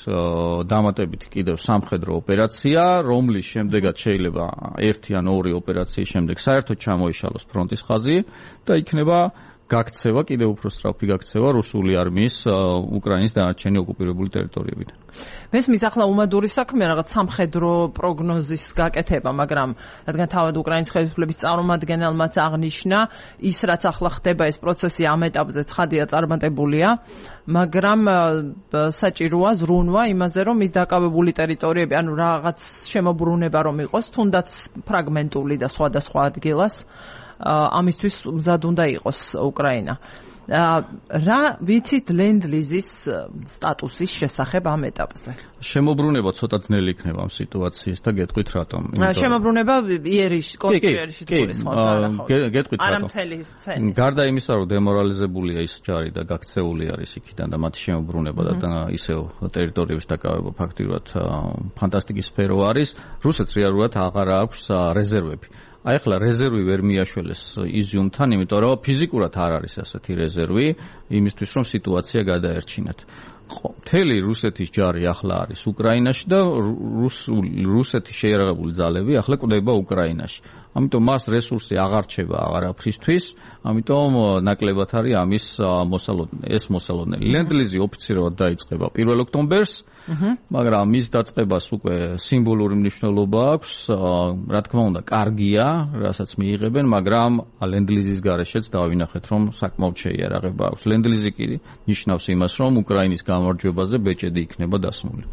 დამატებითი კიდევ სამხედრო ოპერაცია, რომლის შემდეგაც შეიძლება ერთი ან ორი ოპერაციის შემდეგ საერთოდ ჩამოიშალოს ფრონტის ხაზი და იქნება გაქცევა, კიდევ უფრო სწრაფი გაქცევა რუსული არმიის უკრაინის დანარჩენი ოკუპირებული ტერიტორიებიდან. მესმის ახლა უმადური საქმეა რაღაც სამხედრო პროგნოზის გაკეთება, მაგრამ რადგან თავად უკრაინის ხელისუფლების წარმომადგენელმაც აღნიშნა, ის რაც ახლა ხდება ეს პროცესი ამ ეტაპზე ცხადია წარმატებულია, მაგრამ საჭიროა ზრუნვა იმაზე, რომ ის დაკავებული ტერიტორიები, ანუ რაღაც შემოbrunება რომ იყოს, თუნდაც ფრაგმენტული და სხვადასხვა ადგილას ამისთვის მზად უნდა იყოს უკრაინა. რა ვიცით ლენდ-ლიზის სტატუსის შესახებ ამ ეტაპზე? შემოbrunება ცოტა ძნელი იქნება ამ სიტუაციის და გეტყვით რატომ. შემოbrunება იერიშ, კონტრიერიშ თულის ხო? გეტყვით რატომ. არა მთელი სცენა. გარდა იმისა, რომ დემორალიზებულია ის ჯარი და გაქცეული არის იქიდან და მათი შემოbrunება და ისევ ტერიტორიების დაკავება ფაქტიურად ფანტასტიკის სფერო არის, რუსეთს რეალურად აღარ აქვს რეზერვები. აი ახლა რეზერვი ვერ მიაშველეს იზიუმთან, იმიტომ რომ ფიზიკურად არ არის ასეთი რეზერვი იმისთვის, რომ სიტუაცია გადაერჩინათ. მთელი რუსეთის ჯარი ახლა არის უკრაინაში და რუსეთის შეიარაღებული ძალები ახლა კვდება უკრაინაში. ამიტომ მას რესურსი აღარ რჩება აღარაფრისთვის, ამიტომ ნაკლებად არის ამის მოსალოდნელი. ეს მოსალოდნელი. ლენდ-ლიზი ოფიციალურად დაიწყება პირველ ოქტომბერს. მაგრამ მის დაწყებას უკვე სიმბოლური მნიშვნელობა აქვს, რა თქმა უნდა, კარგია, რასაც მიიღებენ, მაგრამ ლენდლიზის გარეშეც დავინახეთ, რომ საკმაოდ შეიარაღება აქვს. ლენდლიზი კი ნიშნავს იმას, რომ უკრაინის გამარჯვებაზე ბეჭედი იქნება დასმული.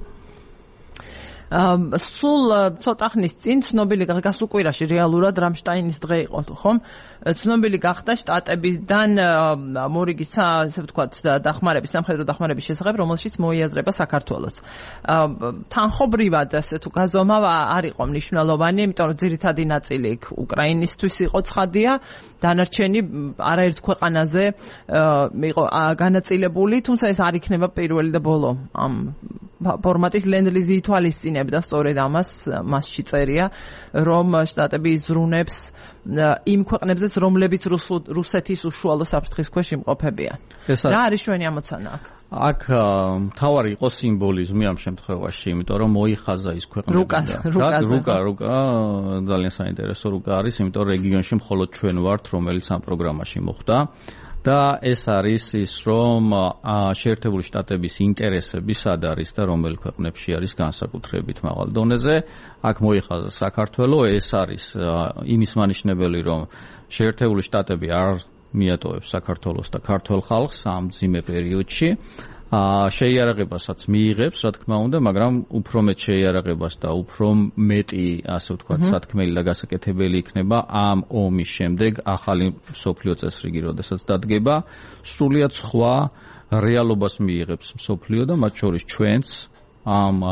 სულ ცოტა ხნის წინ ცნობილი გასუკვირაში რეალურად რამშტაინის დღე იყო, ხომ? ცნობილი გახდა შტატებიდან მორიგისა, ესე ვთქვათ, დახმარების, სამხედრო დახმარების შესახებ, რომელშიც მოიაზრება საქართველოს. თანხობრივად, ასე თუ გაზომავ არ იყო მნიშვნელოვანი, იმიტომ რომ ძირითადი ნაწილი უკრაინისთვის იყო ცხადია, დანარჩენი არაერთ ქვეყანაზე იყო განაწილებული, თუმცა ეს არ იქნება პირველი და ბოლო ამ ფორმატის ლენდლიზი ითვალისწინებდა სწორედ ამას, მასში წერია, რომ შტატები იზრუნებს იმ ქვეყნებზეც, რომლებიც რუსეთის უშუალო საფრთხის ქვეშ იმყოფებიან. რა არის ჩვენი ამოცანა აქ? აქ მთავარი იყო სიმბოლიზმი ამ შემთხვევაში, იმიტომ რომ მოიხაზა ის ქვეყნები. რუკა, რუკა, ძალიან საინტერესო რუკა არის, იმიტომ რომ რეგიონში მხოლოდ ჩვენ ვართ, რომელიც ამ პროგრამაში მოხვდა. და ეს არის ის, რომ შეერთებული შტატების ინტერესები სად არის და რომელ ქვეყნებში არის განსაკუთრებით მაღალ დონეზე. აქ მოიხაზა საქართველოს, ეს არის იმის მანიშნებელი, რომ შეერთებული შტატები არ მიატოვებს საქართველოს და ქართველ ხალხს ამ მძიმე პერიოდში. შეიარაღებასაც მიიღებს, რა თქმა უნდა, მაგრამ უფრო მეტ შეიარაღებას და უფრო მეტი, ასე ვთქვათ, სათქმელი და გასაკეთებელი იქნება ამ ომის შემდეგ ახალი მსოფლიო წესრიგი, როდესაც დადგება, სრულიად სხვა რეალობას მიიღებს მსოფლიო და მათ შორის ჩვენც ამ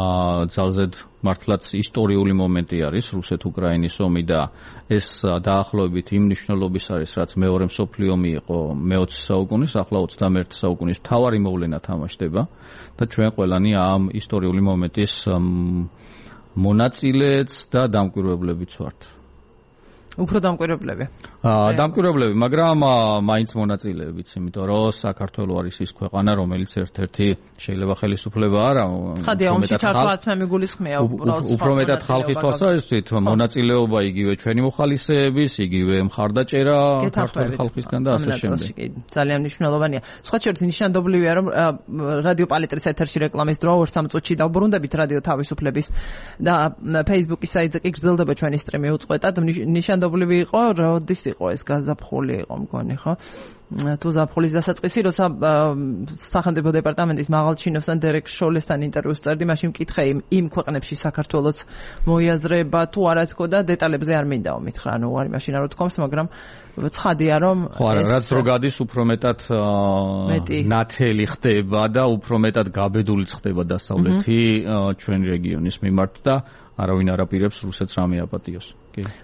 ძალზედ მართლაც ისტორიული მომენტი არის რუსეთ-უკრაინის ომი და ეს დაახლოებით იმ მნიშვნელობის არის, რაც მეორე მსოფლიო ომი იყო მეოცე საუკუნის, ახლა ოცდამეერთე საუკუნის მთავარი მოვლენა თამაშდება და ჩვენ ყველანი ამ ისტორიული მომენტის მონაწილეც და დამკვირვებლებიც ვართ. უფრო დამკვირვებლები. აა დამკვირვებლები, მაგრამ მაინც მონაწილეებიც, იმიტომ რომ საქართველო არის ის ქვეყანა, რომელიც ერთ-ერთი შეიძლება ხელისუფლება არა, ცხადია, ომში ჩართვაც მე მიგულისხმია უბრალოდ. უფრო მეტად ხალხის თვალსაზრისით, მონაწილეობა იგივე ჩვენი მოხალისეების, იგივე მხარდაჭერა ქართული ხალხისგან და ასე შემდეგ. ძალიან მნიშვნელოვანია. სხვა შორის ნიშანდობლივია, რომ რადიო პალიტრის ეთერში რეკლამის დრო ორ სამ წუთში დავბრუნდებით რადიო თავისუფლების და Facebook-ის საიტზე კი გრძელდება ჩვენი სტრიმი უწყვეტად. ნიშანდობლივი იყო, როდის იყო ეს გაზაფხული იყო მგონი, ხო? თუ ზაფხულის დასაწყისი, როცა სახელმწიფო დეპარტამენტის მაღალჩინოსთან დერეკ შოლესთან ინტერვიუს წერდი, მაშინ მკითხე იმ ქვეყნებში საქართველოს მოიაზრება თუ არა თქო და დეტალებზე არ მინდაო მითხრა, ანუ არ მაშინ არ ვთქვამს, მაგრამ ცხადია რომ ხო არა, რაც რო გადის უფრო მეტად ნათელი ხდება და უფრო მეტად გაბედულიც ხდება დასავლეთი ჩვენი რეგიონის მიმართ და არავინ არ აპირებს რუსეთს რამე აპატიოს.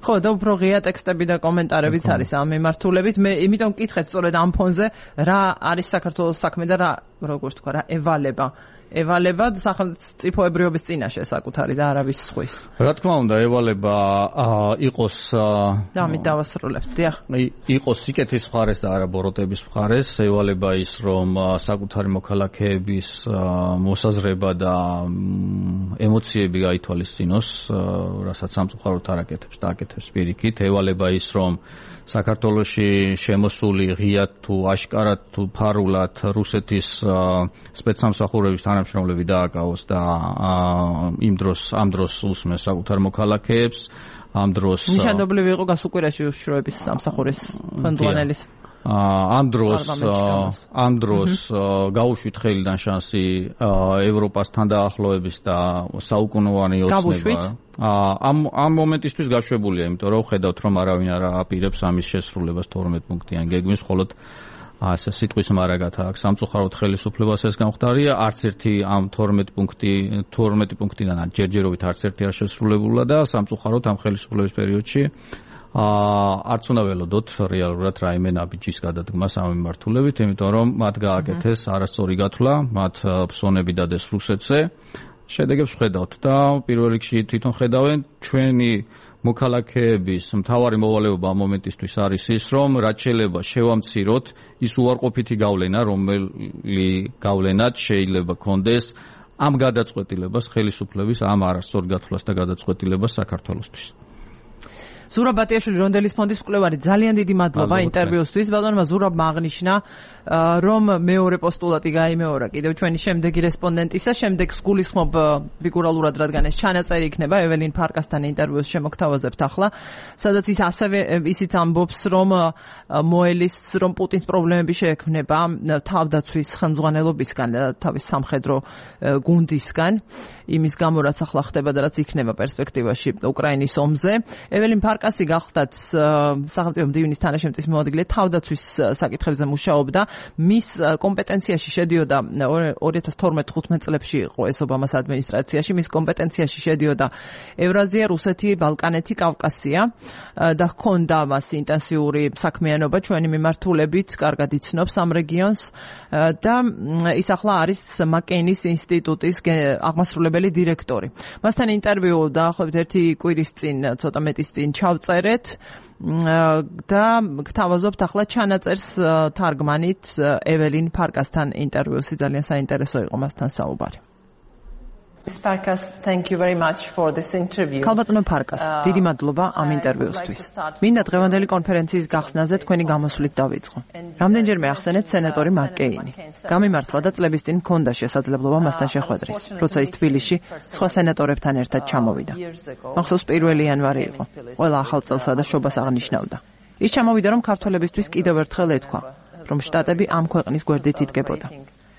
ხო, და უფრო ღია ტექსტები და კომენტარებიც არის ამ მიმართულებით. მე იმიტომ მკითხეთ სწორედ ამ ფონზე, რა არის საქართველოს საქმე და რა, როგორ თქვა, რა ევალება. ევალება სახელმწიფოებრიობის წინაშე საკუთარი და არავის სხვის. რა თქმა უნდა, ევალება იყოს და ამით დავასრულებთ. დიახ. იყოს სიკეთის მხარეს და არა ბოროტების მხარეს. ევალება ის, რომ საკუთარი მოქალაქეების მოსაზრება და ემოციები გაითვალისწინოს, რასაც სამწუხაროდ არ აკეთებს და აკეთებს პირიქით. ევალება ის, რომ საქართველოში შემოსული ღიად თუ აშკარად თუ ფარულად რუსეთის სპეცსამსახურების თანამშრომლები დააკავოს და იმ დროს ამ დროს უსმეს საკუთარ მოქალაქეებს, ამ დროს ნიშანდობლივი იყო გასუკვირაში უშიშროების სამსახურის ხელმძღვანელის ამ დროს ამ დროს გაუშვით ხელიდან შანსი ევროპასთან დაახლოების და საუკუნოვანი ოცნება. ამ ამ მომენტისთვის გაშვებულია, იმიტომ რომ ხედავთ, რომ არავინ არ აპირებს ამის შესრულებას თორმეტ პუნქტიან გეგმის, მხოლოდ ასე სიტყვის მარაგათა აქვს სამწუხაროდ ხელისუფლებას ეს გამختარია, არც ერთი ამ თორმეტ პუნქტი თორმეტი პუნქტიდან ჯერჯერობით არც ერთი არ შესრულებულა და სამწუხაროდ ამ ხელისუფლების პერიოდში არც უნდა ველოდოთ რეალურად რაიმე ნაბიჯის გადადგმას ამ მიმართულებით, იმიტომ რომ მათ გააკეთეს არასწორი გათვლა, მათ ფსონები დადეს რუსეთზე. შედეგებს ხედავთ და პირველ რიგში თვითონ ხედავენ ჩვენი მოქალაქეების მთავარი მოვალეობა ამ მომენტისთვის არის ის, რომ რაც შეიძლება შევამციროთ ის უარყოფითი გავლენა, რომელი გავლენაც შეიძლება კონდეს ამ გადაწყვეტილებას ხელისუფლების, ამ არასწორ გათვლას და გადაწყვეტილებას საქართველოსთვის. ზურაბ ბატიაშვილი, რონდელის ფონდის მკვლევარი, ძალიან დიდი მადლობა ინტერვიუსთვის. ბატონმა ზურაბმა აღნიშნა, რომ მეორე პოსტულატი გაიმეორა კიდევ ჩვენი შემდეგი რესპონდენტისა, შემდეგ გულისხმობ ფიგურალურად, რადგან ეს ჩანაწერი იქნება ეველინ ფარკასთან ინტერვიუს შემოგთავაზებთ ახლა, სადაც ის ასევე ისიც ამბობს, რომ მოელის, რომ პუტინს პრობლემები შეექმნება თავდაცვის ხელმძღვანელობისგან, თავის სამხედრო გუნდისგან, იმის გამო რაც ახლა ხდება და რაც იქნება პერსპექტივაში უკრაინის ომზე. ეველინ ფარკასი გახლდათ სახელმწიფო მდივნის თანაშემწის მოადგილე თავდაცვის საკითხებზე მუშაობდა. მის კომპეტენციაში შედიოდა ორი ათას თორმეტ ხუთმეტ წლებში იყო ეს ობამას ადმინისტრაციაში, მის კომპეტენციაში შედიოდა ევრაზია, რუსეთი, ბალკანეთი, კავკასია და ჰქონდა მას ინტენსიური საქმიანობა ჩვენი მიმართულებით, კარგად იცნობს ამ რეგიონს და ის ახლა არის მაკეინის ინსტიტუტის აღმასრულებელი დირექტორი. მასთან ინტერვიუ დაახლოებით ერთი კვირის წინ, ცოტა მეტის წინ ჩავწერეთ და გთავაზობთ ახლა ჩანაწერს თარგმანით ეველინ ფარკასთან ინტერვიუსი, ძალიან საინტერესო იყო მასთან საუბარი. Farkas, thank you very much for this interview. ქალბატონო ფარკას, დიდი მადლობა ამ ინტერვიუსთვის. მინდა დღევანდელი კონფერენციის გახსნაზე თქვენი გამოსვლით დავიწყო. რამდენჯერმე ახსენეთ სენატორი მაკეინი. გამიმართლა და წლების წინ მქონდა შესაძლებლობა მასთან შეხვედრის, როცა ის თბილისში სხვა სენატორებთან ერთად ჩამოვიდა. მახსოვს პირველი იანვარი იყო. ყველა ახალ წელსა და შობას აღნიშნავდა. ის ჩამოვიდა, რომ ქართველებისთვის კიდევ ერთხელ ეთქვა, რომ შტატები ამ ქვეყნის გვერდით იდგებოდა.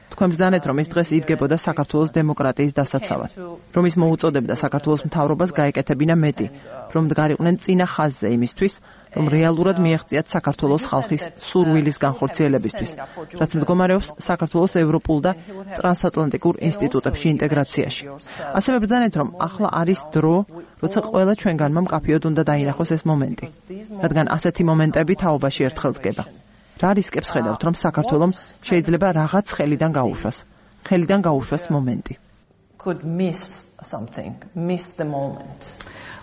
თქვენ ბრძანეთ, რომ ის დღეს იდგებოდა საქართველოს დემოკრატიის დასაცავად, რომ ის მოუწოდებდა საქართველოს მთავრობას გაეკეთებინა მეტი, რომ დგარიყვნენ წინა ხაზზე იმისთვის, რომ რეალურად მიეღწიათ საქართველოს ხალხის სურვილის განხორციელებისთვის, რაც მდგომარეობს საქართველოს ევროპულ და ტრანსატლანტიკურ ინსტიტუტებში ინტეგრაციაში. ასევე ბრძანეთ, რომ ახლა არის დრო, როცა ყველა ჩვენგანმა მკაფიოდ უნდა დაინახოს ეს მომენტი, რადგან ასეთი მომენტები თაობაში ერთხელ დგება. რა რისკებს ხედავთ, რომ საქართველომ შეიძლება რაღაც ხელიდან გაუშვას, ხელიდან გაუშვას მომენტი. Could miss something, miss the moment.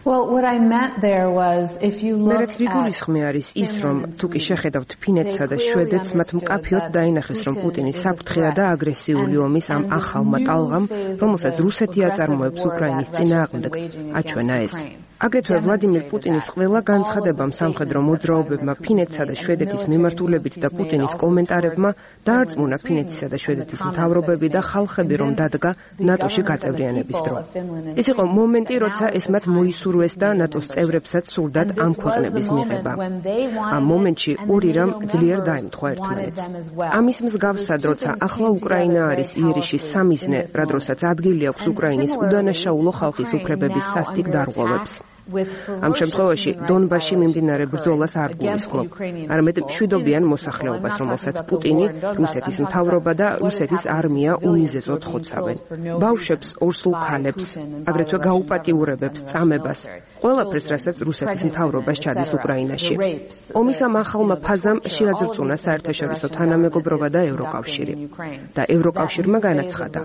Well, what I meant there was if you look at მერეთრიგულისხმე არის ის, რომ თუ კი შეხედავთ ფინეთსა და შვედეთს, მათ მკაფიოდ დაინახეს, რომ პუტინის საფრთხეა და აგრესიული ომის ამ ახალმა ტალღამ, რომელსაც რუსეთი აწარმოებს უკრაინის წინააღმდეგ, აჩვენა ეს. აგრეთვე ვლადიმირ პუტინის ყველა განცხადებამ სამხედრო მოძრაობებმა ფინეთსა და შვედეთის მიმართულებით და პუტინის კომენტარებმა დაარწმუნა ფინეთისა და შვედეთის მთავრობები და ხალხები, რომ დადგა ნატოში გაწევრიანების დრო. ეს იყო მომენტი, როცა ეს მათ მოისურვეს და ნატოს წევრებსაც სურდათ ამ ქვეყნების მიღება. ამ მომენტში ორი რამ ძლიერ დაემთხვა ერთმანეთს. ამის მსგავსად, როცა ახლა უკრაინა არის იერიშის სამიზნე, რა დროსაც ადგილი აქვს უკრაინის უდანაშაულო ხალხის უფლებების სასტიკ დარღვევებს. ამ შემთხვევაში დონბასში მიმდინარე ბრძოლას არ გულისხმობ, არამედ მშვიდობიან მოსახლეობას, რომელსაც პუტინი, რუსეთის მთავრობა და რუსეთის არმია უმიზეზოდ ხოცავენ. ბავშვებს, ორსულ ქალებს, აგრეთვე გაუპატიურებებს, წამებას, ყველაფერს, რასაც რუსეთის მთავრობა სჩადის უკრაინაში. ომის ამ ახალმა ფაზამ შეაძრწუნა საერთაშორისო თანამეგობრობა და ევროკავშირი. და ევროკავშირმა განაცხადა: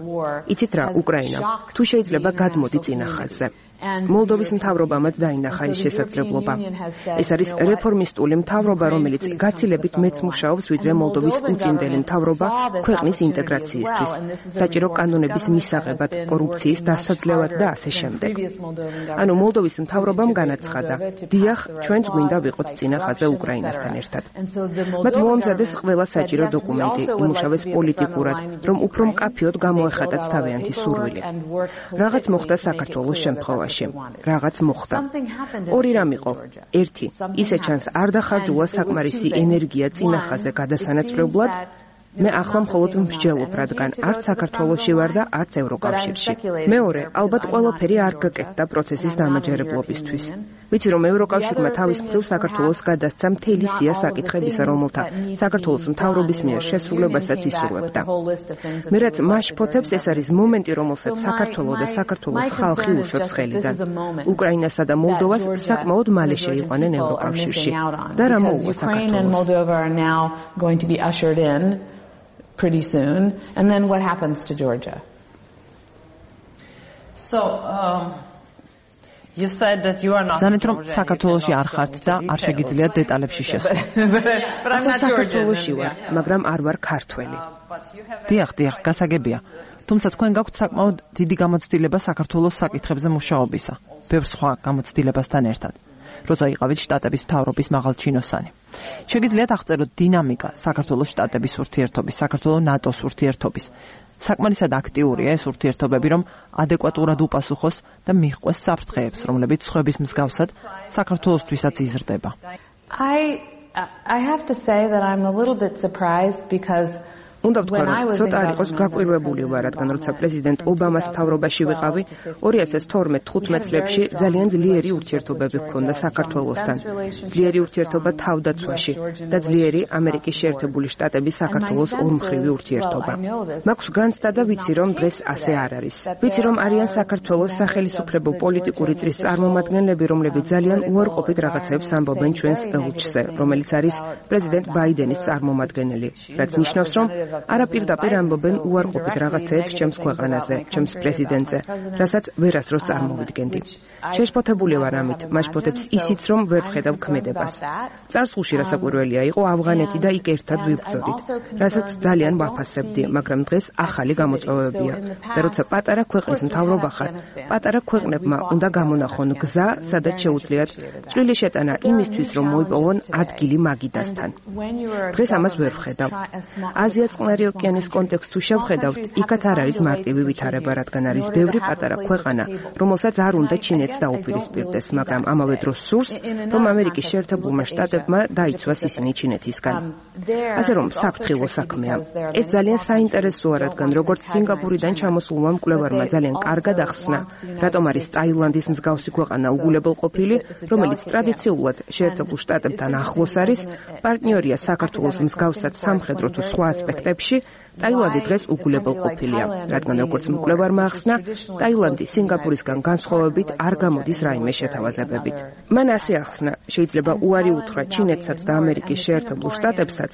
იცით რა, უკრაინა, თუ შეიძლება გადმოდი წინა ხაზზე. მოლდოვის მთავრობამაც დაინახა ის შესაძლებლობა. ეს არის რეფორმისტული მთავრობა, რომელიც გაცილებით მეც მუშაობს, ვიდრე მოლდოვის უწინდელი მთავრობა ქვეყნის ინტეგრაციისთვის, საჭირო კანონების მისაღებად, კორუფციის დასაძლევად და ასე შემდეგ. ანუ მოლდოვის მთავრობამ განაცხადა: დიახ, ჩვენც გვინდა ვიყოთ წინა ხაზზე უკრაინასთან ერთად. მათ მოამზადეს ყველა საჭირო დოკუმენტი, იმუშავეს პოლიტიკურად, რომ უფრო მკაფიოდ გამოეხატათ თავიანთი სურვილი. რაღაც მოხდა საქართველოს შემთხვევაში. რაღაც მოხდა. ორი რამ იყო. ერთი, ისე ჩანს არ დახარჯულა საკმარისი ენერგია წინა ხაზზე გადასანაცვლებლად. მე ახლა მხოლოდ მსჯელობ, რადგან არც საქართველოში ვარ და არც ევროკავშირში. მეორე, ალბათ ყველაფერი არ გაკეთდა პროცესის დამაჯერებლობისთვის. ვიცი, რომ ევროკავშირმა თავის მხრივ საქართველოს გადასცა მთელი სია საკითხებისა, რომელთა საქართველოს მთავრობის მიერ შესრულებასაც ისურვებდა. მე რაც მაშფოთებს, ეს არის მომენტი, რომელსაც საქართველო და საქართველოს ხალხი უშვებს ხელიდან. უკრაინასა და მოლდოვას საკმაოდ მალე შეიყვანენ ევროკავშირში. და რა მოუვა საქართველოს? Pretty soon, and then what happens to Georgia? So, um, you said that you are not. Zanეთ რომ საქართველოში არ ხართ და არ შეგიძლიათ დეტალებში შესვლა. But I'm not საქართველოში ვარ, მაგრამ არ ვარ ქართველი. დიახ, დიახ, გასაგებია. თუმცა თქვენ გაქვთ საკმაოდ დიდი გამოცდილება საქართველოს საკითხებზე მუშაობისა, ბევრ სხვა გამოცდილებასთან ერთად. როცა იყავით შტატების მთავრობის მაღალჩინოსანი. შეგიძლიათ აღწეროთ დინამიკა საქართველოს შტატების ურთიერთობის, საქართველოს ნატოს ურთიერთობის. საკმარისად აქტიურია ეს ურთიერთობები, რომ ადეკვატურად უპასუხოს და მიჰყვეს საფრთხეებს, რომლებიც სხვების მსგავსად საქართველოსთვისაც იზრდება. I I have to say that I'm a little bit surprised because უნდა ვთქვა, რომ ცოტა არ იყოს გაკვირვებული ვარ, რადგან როცა პრეზიდენტ ობამას მთავრობაში ვიყავი, ორი ათას თორმეტ თხუთმეტ წლებში ძალიან ძლიერი ურთიერთობები ჰქონდა საქართველოსთან. ძლიერი ურთიერთობა თავდაცვაში და ძლიერი ამერიკის შეერთებული შტატების საქართველოს ორმხრივი ურთიერთობა. მაქვს განცდა და ვიცი, რომ დღეს ასე არ არის. ვიცი, რომ არიან საქართველოს სახელმწიფო პოლიტიკური წრის წარმომადგენლები, რომლებიც ძალიან უარყოფით რაღაცებს ამბობენ ჩვენს ელჩზე, რომელიც არის პრეზიდენტ ბაიდენის წარმომადგენელი, რაც ნიშნავს, რომ არაპირდაპირ ამბობენ უარყოფით რაღაცეებს ჩემს ქვეყანაზე, ჩემს პრეზიდენტზე, რასაც ვერასდროს წარმოვიდგენდი. შეშფოთებული ვარ ამით, მაშფოთებს ისიც, რომ ვერ ვხედავ ქმედებას. წარსულში რასაკვირველია იყო ავღანეთი და იქ ერთად ვიბრძოდით, რასაც ძალიან ვაფასებდი, მაგრამ დღეს ახალი გამოწვევებია. და როცა პატარა ქვეყნის მთავრობა ხარ, პატარა ქვეყნებმა უნდა გამონახონ გზა, სადაც შეუძლიათ წვლილი შეტანა იმისთვის, რომ მოიპოვონ ადგილი მაგიდასთან. დღეს ამას ვერ ვხედავ. აზია წყნარი ოკეანის კონტექსტს თუ შევხედავთ, იქაც არ არის მარტივი ვითარება, რადგან არის ბევრი პატარა ქვეყანა, რომელსაც არ უნდა ჩინეთს დაუპირისპირდეს, მაგრამ ამავე დროს სურს, რომ ამერიკის შეერთებულმა შტატებმა დაიცვას ისინი ჩინეთისგან. ასე რომ საფრთხილო საქმეა. ეს ძალიან საინტერესოა, რადგან როგორც სინგაპურიდან ჩამოსულმა მკვლევარმა ძალიან კარგად ახსნა, რატომ არის ტაილანდის მსგავსი ქვეყანა უგულებელყოფილი, რომელიც ტრადიციულად შეერთებულ შტატებთან ახლოს არის, პარტნიორია საქართველოს მსგავსად სამხედრო თუ სხვა ასპექტებში, ტაილანდი დღეს უგულებელყოფილია, რადგან როგორც მკვლევარმა ახსნა, ტაილანდი სინგაპურისგან განსხვავებით არ გამოდის რაიმე შეთავაზებებით. მან ასე ახსნა, შეიძლება უარი უთხრა ჩინეთსაც და ამერიკის შეერთებულ შტატებსაც,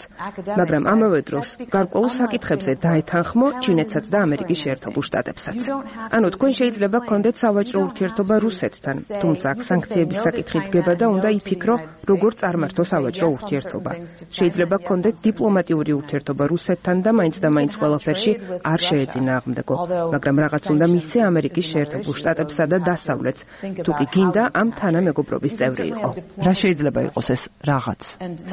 მაგრამ ამავე დროს გარკვეულ საკითხებზე დაეთანხმო ჩინეთსაც და ამერიკის შეერთებულ შტატებსაც. ანუ თქვენ შეიძლება გქონდეთ სავაჭრო ურთიერთობა რუსეთთან, თუმცა აქ სანქციების საკითხი დგება და უნდა იფიქრო, როგორ წარმართო სავაჭრო ურთიერთობა. შეიძლება გქონდეთ დიპლომატიური ურთიერთობა რუსეთთან და მაინც და მაინც ყველაფერში არ შეეწინააღმდეგო, მაგრამ რაღაც უნდა მისცე ამერიკის შეერთებულ შტატებსა და დასავლეთს, თუ კი გინდა ამ თანამეგობრობის წევრი იყო. რა შეიძლება იყოს ეს რაღაც?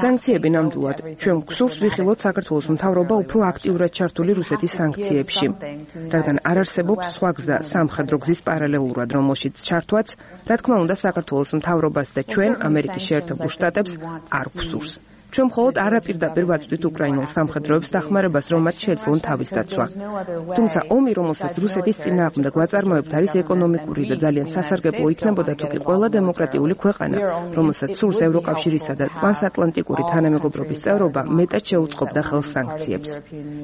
სანქციები ნამდვილად ჩვენ გვსურს ვიხილოთ საქართველოს მთავრობა უფრო აქტიურად ჩართული რუსეთის სანქციებში, რადგან არ არსებობს სხვა გზა სამხედრო გზის პარალელურად, რომელშიც ჩართვაც, რა თქმა უნდა, საქართველოს მთავრობას და ჩვენ ამერიკის შეერთებულ შტატებს არ გვსურს. ჩვენ მხოლოდ არაპირდაპირ ვაწვდით უკრაინულ სამხედროებს დახმარებას, რომ მათ შეძლონ თავის დაცვა. თუმცა ომი, რომელსაც რუსეთის წინააღმდეგ ვაწარმოებთ, არის ეკონომიკური და ძალიან სასარგებლო იქნებოდა თუ კი ყველა დემოკრატიული ქვეყანა, რომელსაც სურს ევროკავშირისა და ტრანსატლანტიკური თანამეგობრობის წევრობა, მეტად შეუწყობდა ხელს სანქციებს.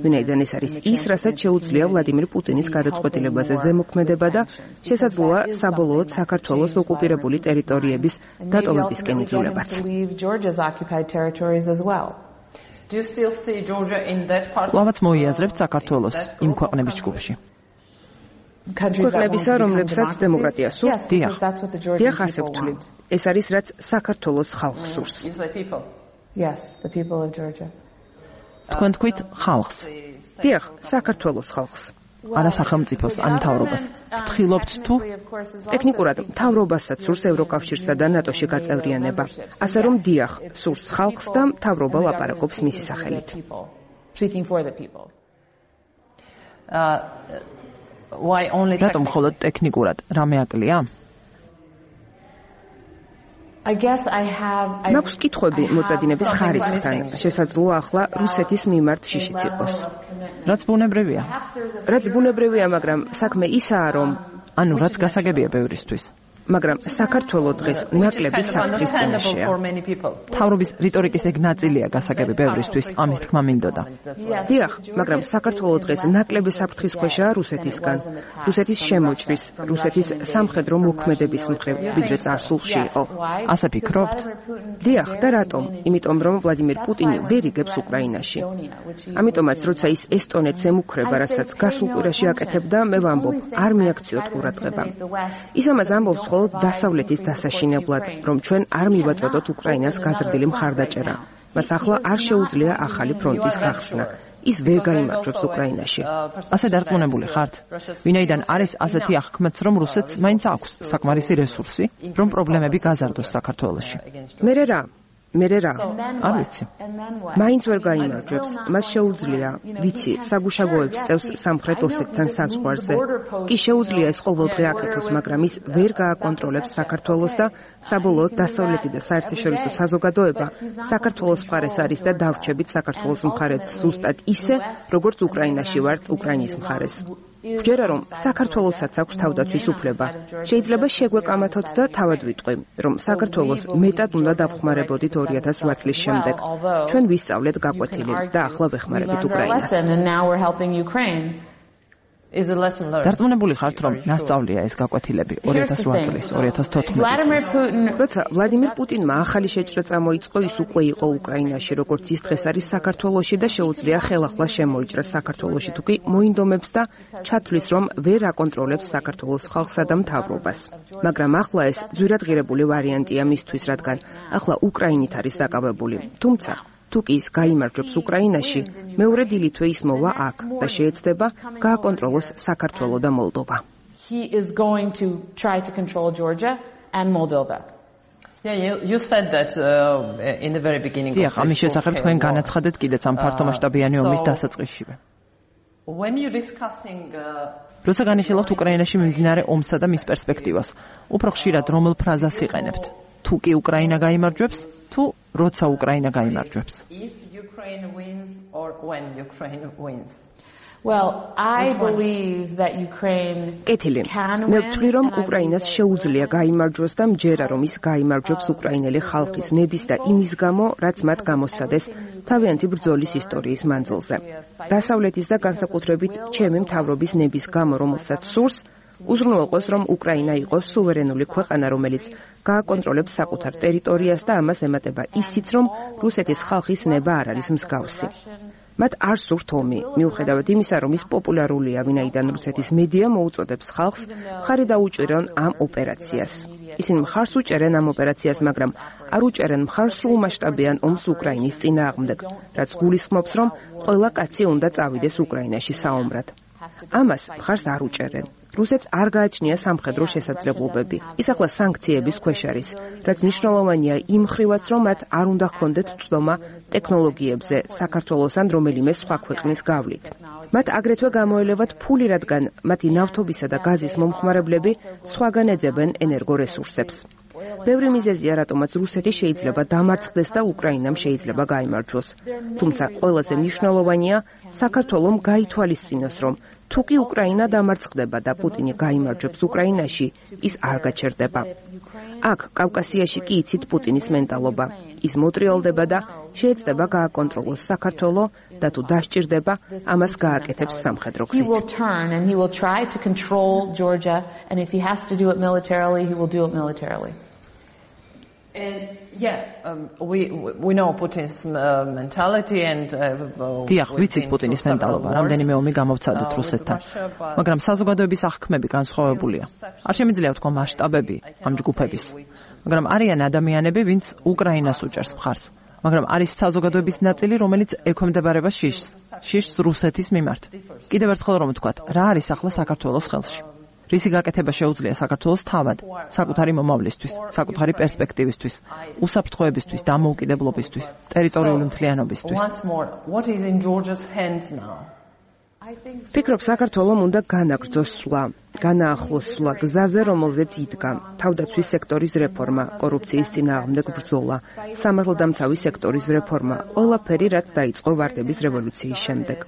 ვინაიდან ეს არის ის, რასაც შეუძლია ვლადიმირ პუტინის გადაწყვეტილებაზე ზემოქმედება და შესაძლოა საბოლოოდ საქართველოს ოკუპირებული ტერიტორიების დატოვებისკენ იძლებაც. as well. Do you still see Georgia in that part? Ლავაც მოიაზრებთ საქართველოს იმ ქვეყნების ჯგუფში. ქვეყნებისა, რომლებსაც დემოკრატია სურს? დიახ. დიახ, ასე ვთვლი. ეს არის, რაც საქართველოს ხალხს სურს. Yes, the people of Georgia. თქვენ თქვით ხალხს. დიახ, საქართველოს ხალხს. არა სახელმწიფოს ან მთავრობას. ვთხრილობთ თუ ტექნიკურად მთავრობასაც სურს ევროკავშირსა და ნატოში გაწევრიანება. ასე რომ დიახ, სურს ხალხს და მთავრობა ლაპარაკობს მისი სახელით. რატომ მხოლოდ ტექნიკურად? რამე აკლია? I guess I have I მაქვს კითხვები მოწადინების ხარისხთან. შესაძლოა ახლა რუსეთის მიმართ შიშიც იყოს. რაც ბუნებრივია. რაც ბუნებრივია, მაგრამ საქმე ისაა, რომ ანუ რაც გასაგებია ბევრისთვის. მაგრამ საქართველოს დღეს ნაკლები საფრთხის წინაშეა. თავრობის რიტორიკის ეგ ნაწილია გასაგები ბევრისთვის, ამის თქმა მინდოდა. დიახ, მაგრამ საქართველოს დღეს ნაკლები საფრთხის ქვეშაა რუსეთისგან, რუსეთის შემოჭრის, რუსეთის სამხედრო მოქმედების მხრივ, ვიდრე წარსულში იყო. ასე ფიქრობთ? დიახ, და რატომ? იმიტომ რომ ვლადიმირ პუტინი ვერ იგებს უკრაინაში. ამიტომაც როცა ის ესტონეთს ემუქრება, რასაც გასულ კვირაში აკეთებდა, მე ვამბობ, არ მიაქციოთ ყურადღება. ის ამას ამბობს დასავლეთის დასაშინებლად, რომ ჩვენ არ მივაწოდოთ უკრაინას გაზრდილი მხარდაჭერა. მას ახლა არ შეუძლია ახალი ფრონტის გახსნა. ის ვერ გაიმარჯვებს უკრაინაში. ასე დარწმუნებული ხართ? ვინაიდან არის ასეთი აღქმაც, რომ რუსეთს მაინც აქვს საკმარისი რესურსი, რომ პრობლემები გაზარდოს საქართველოში. მერე რა? მერე რა? არ ვიცი. მაინც ვერ გაიმარჯვებს. მას შეუძლია, ვიცი, საგუშაგოებს წევს სამხრეთ ოსეთთან საზღვარზე. კი შეუძლია ეს ყოველდღე აკეთოს, მაგრამ ის ვერ გააკონტროლებს საქართველოს და საბოლოოდ დასავლეთი და საერთაშორისო საზოგადოება საქართველოს მხარეს არის და დავრჩებით საქართველოს მხარეს ზუსტად ისე, როგორც უკრაინაში ვართ უკრაინის მხარეს. ვჯერა რომ საქართველოსაც აქვს თავდაცვის უფლება. შეიძლება შეგვეკამათოთ და თავად ვიტყვი, რომ საქართველოს მეტად უნდა დავხმარებოდით ორი ათას ოთხ წლის შემდეგ. ჩვენ ვისწავლეთ გაკვეთილი და ახლა ვეხმარებით უკრაინას. დარწმუნებული ხართ, რომ ნასწავლია ეს გაკვეთილები ორი ათას ოთხ წლის, ორი ათას თოთხმეტი წლის. როცა ვლადიმირ პუტინმა ახალი შეჭრა წამოიწყო, ის უკვე იყო უკრაინაში, როგორც ის დღეს არის საქართველოში და შეუძლია ხელახლა შემოიჭრას საქართველოში, თუ კი მოინდომებს და ჩათვლის, რომ ვერ აკონტროლებს საქართველოს ხალხსა და მთავრობას. მაგრამ ახლა ეს ძვირადღირებული ვარიანტია მისთვის, რადგან ახლა უკრაინით არის დაკავებული. თუმცა თუ კი ის გაიმარჯვებს უკრაინაში, მეორე დილით ის მოვა აქ და შეეცდება გააკონტროლოს საქართველო და მოლდოვა. He is going to try to control Georgia and Moldova. Yeah, you, you said that uh, in the very beginning. დიახ, ამის შესახებ თქვენ განაცხადეთ კიდეც ამ ფართომასშტაბიანი ომის დასაწყისშივე. When you discussing როცა განიხილავთ უკრაინაში მიმდინარე ომსა და მის პერსპექტივას, უფრო ხშირად რომელ ფრაზას იყენებთ? თუ კი უკრაინა გაიმარჯვებს, თუ როცა უკრაინა გაიმარჯვებს. If Ukraine wins or when Ukraine wins. Well, I believe that Ukraine კეთილი. მე ვთვლი, რომ უკრაინას შეუძლია გაიმარჯვოს და მჯერა, რომ ის გაიმარჯვებს უკრაინელი ხალხის ნების და იმის გამო, რაც მათ გამოსცადეს თავიანთი ბრძოლის ისტორიის მანძილზე. დასავლეთის და განსაკუთრებით ჩემი მთავრობის ნების გამო, რომელსაც სურს უზრუნველყოს, რომ უკრაინა იყოს სუვერენული ქვეყანა, რომელიც გააკონტროლებს საკუთარ ტერიტორიას და ამას ემატება ისიც, რომ რუსეთის ხალხის ნება არ არის მსგავსი. მათ არ სურთ ომი, მიუხედავად იმისა, რომ ის პოპულარულია, ვინაიდან რუსეთის მედია მოუწოდებს ხალხს მხარი დაუჭერონ ამ ოპერაციას. ისინი მხარს უჭერენ ამ ოპერაციას, მაგრამ არ უჭერენ მხარს სრულმასშტაბიან ომს უკრაინის წინააღმდეგ, რაც გულისხმობს, რომ ყველა კაცი უნდა წავიდეს უკრაინაში საომრად. ამას მხარს არ უჭერენ. რუსეთს არ გააჩნია სამხედრო შესაძლებლობები. ის ახლა სანქციების ქვეშ არის, რაც მნიშვნელოვანია იმ ხრივაც, რომ მათ არ უნდა ჰქონდეთ ცდომა ტექნოლოგიებზე საქართველოს ან რომელიმე სხვა ქვეყნის გავლით. მათ აგრეთვე გამოელებათ ფული, რადგან მათი ნავთობისა და გაზის მომხმარებლები სხვაგან ეძებენ ენერგორესურსებს. ბევრი მიზეზია, რატომაც რუსეთი შეიძლება დამარცხდეს და უკრაინამ შეიძლება გაიმარჯვოს. თუმცა ყველაზე მნიშვნელოვანია საქართველომ გაითვალისწინოს, რომ თუ კი უკრაინა დამარცხდება და პუტინი გაიმარჯვებს უკრაინაში, ის არ გაჩერდება. აქ კავკასიაში კი იცით პუტინის მენტალობა. ის მოტრიალდება და შეეცდება გააკონტროლოს საქართველო და თუ დასჭირდება, ამას გააკეთებს სამხედრო გზით. He will turn and he will try to control Georgia, and if he has to do it militarily, he will do it militarily. And yeah, um, we we know Putin's uh, mentality and uh, დიახ, ვიცით პუტინის მენტალობა, რამდენიმე ომი გამოვცადეთ რუსეთთან. მაგრამ საზოგადოების აღქმები განსხვავებულია. არ შემიძლია ვთქვა მასშტაბები ამ ჯგუფების. მაგრამ არიან ადამიანები, ვინც უკრაინას უჭერს მხარს. მაგრამ არის საზოგადოების ნაწილი, რომელიც ექვემდებარება შიშს, შიშს რუსეთის მიმართ. კიდევ ერთხელ რომ ვთქვათ, რა არის ახლა საქართველოს ხელში? რისი გაკეთება შეუძლია საქართველოს თავად, საკუთარი მომავლისთვის, საკუთარი პერსპექტივისთვის, უსაფრთხოებისთვის, დამოუკიდებლობისთვის, ტერიტორიული მთლიანობისთვის. ფიქრობ, საქართველომ უნდა განაგრძოს სვლა, განაახლოს სვლა გზაზე, რომელზეც იდგა თავდაცვის სექტორის რეფორმა, კორუფციის წინააღმდეგ ბრძოლა, სამართალდამცავი სექტორის რეფორმა, ყველაფერი, რაც დაიწყო ვარდების რევოლუციის შემდეგ.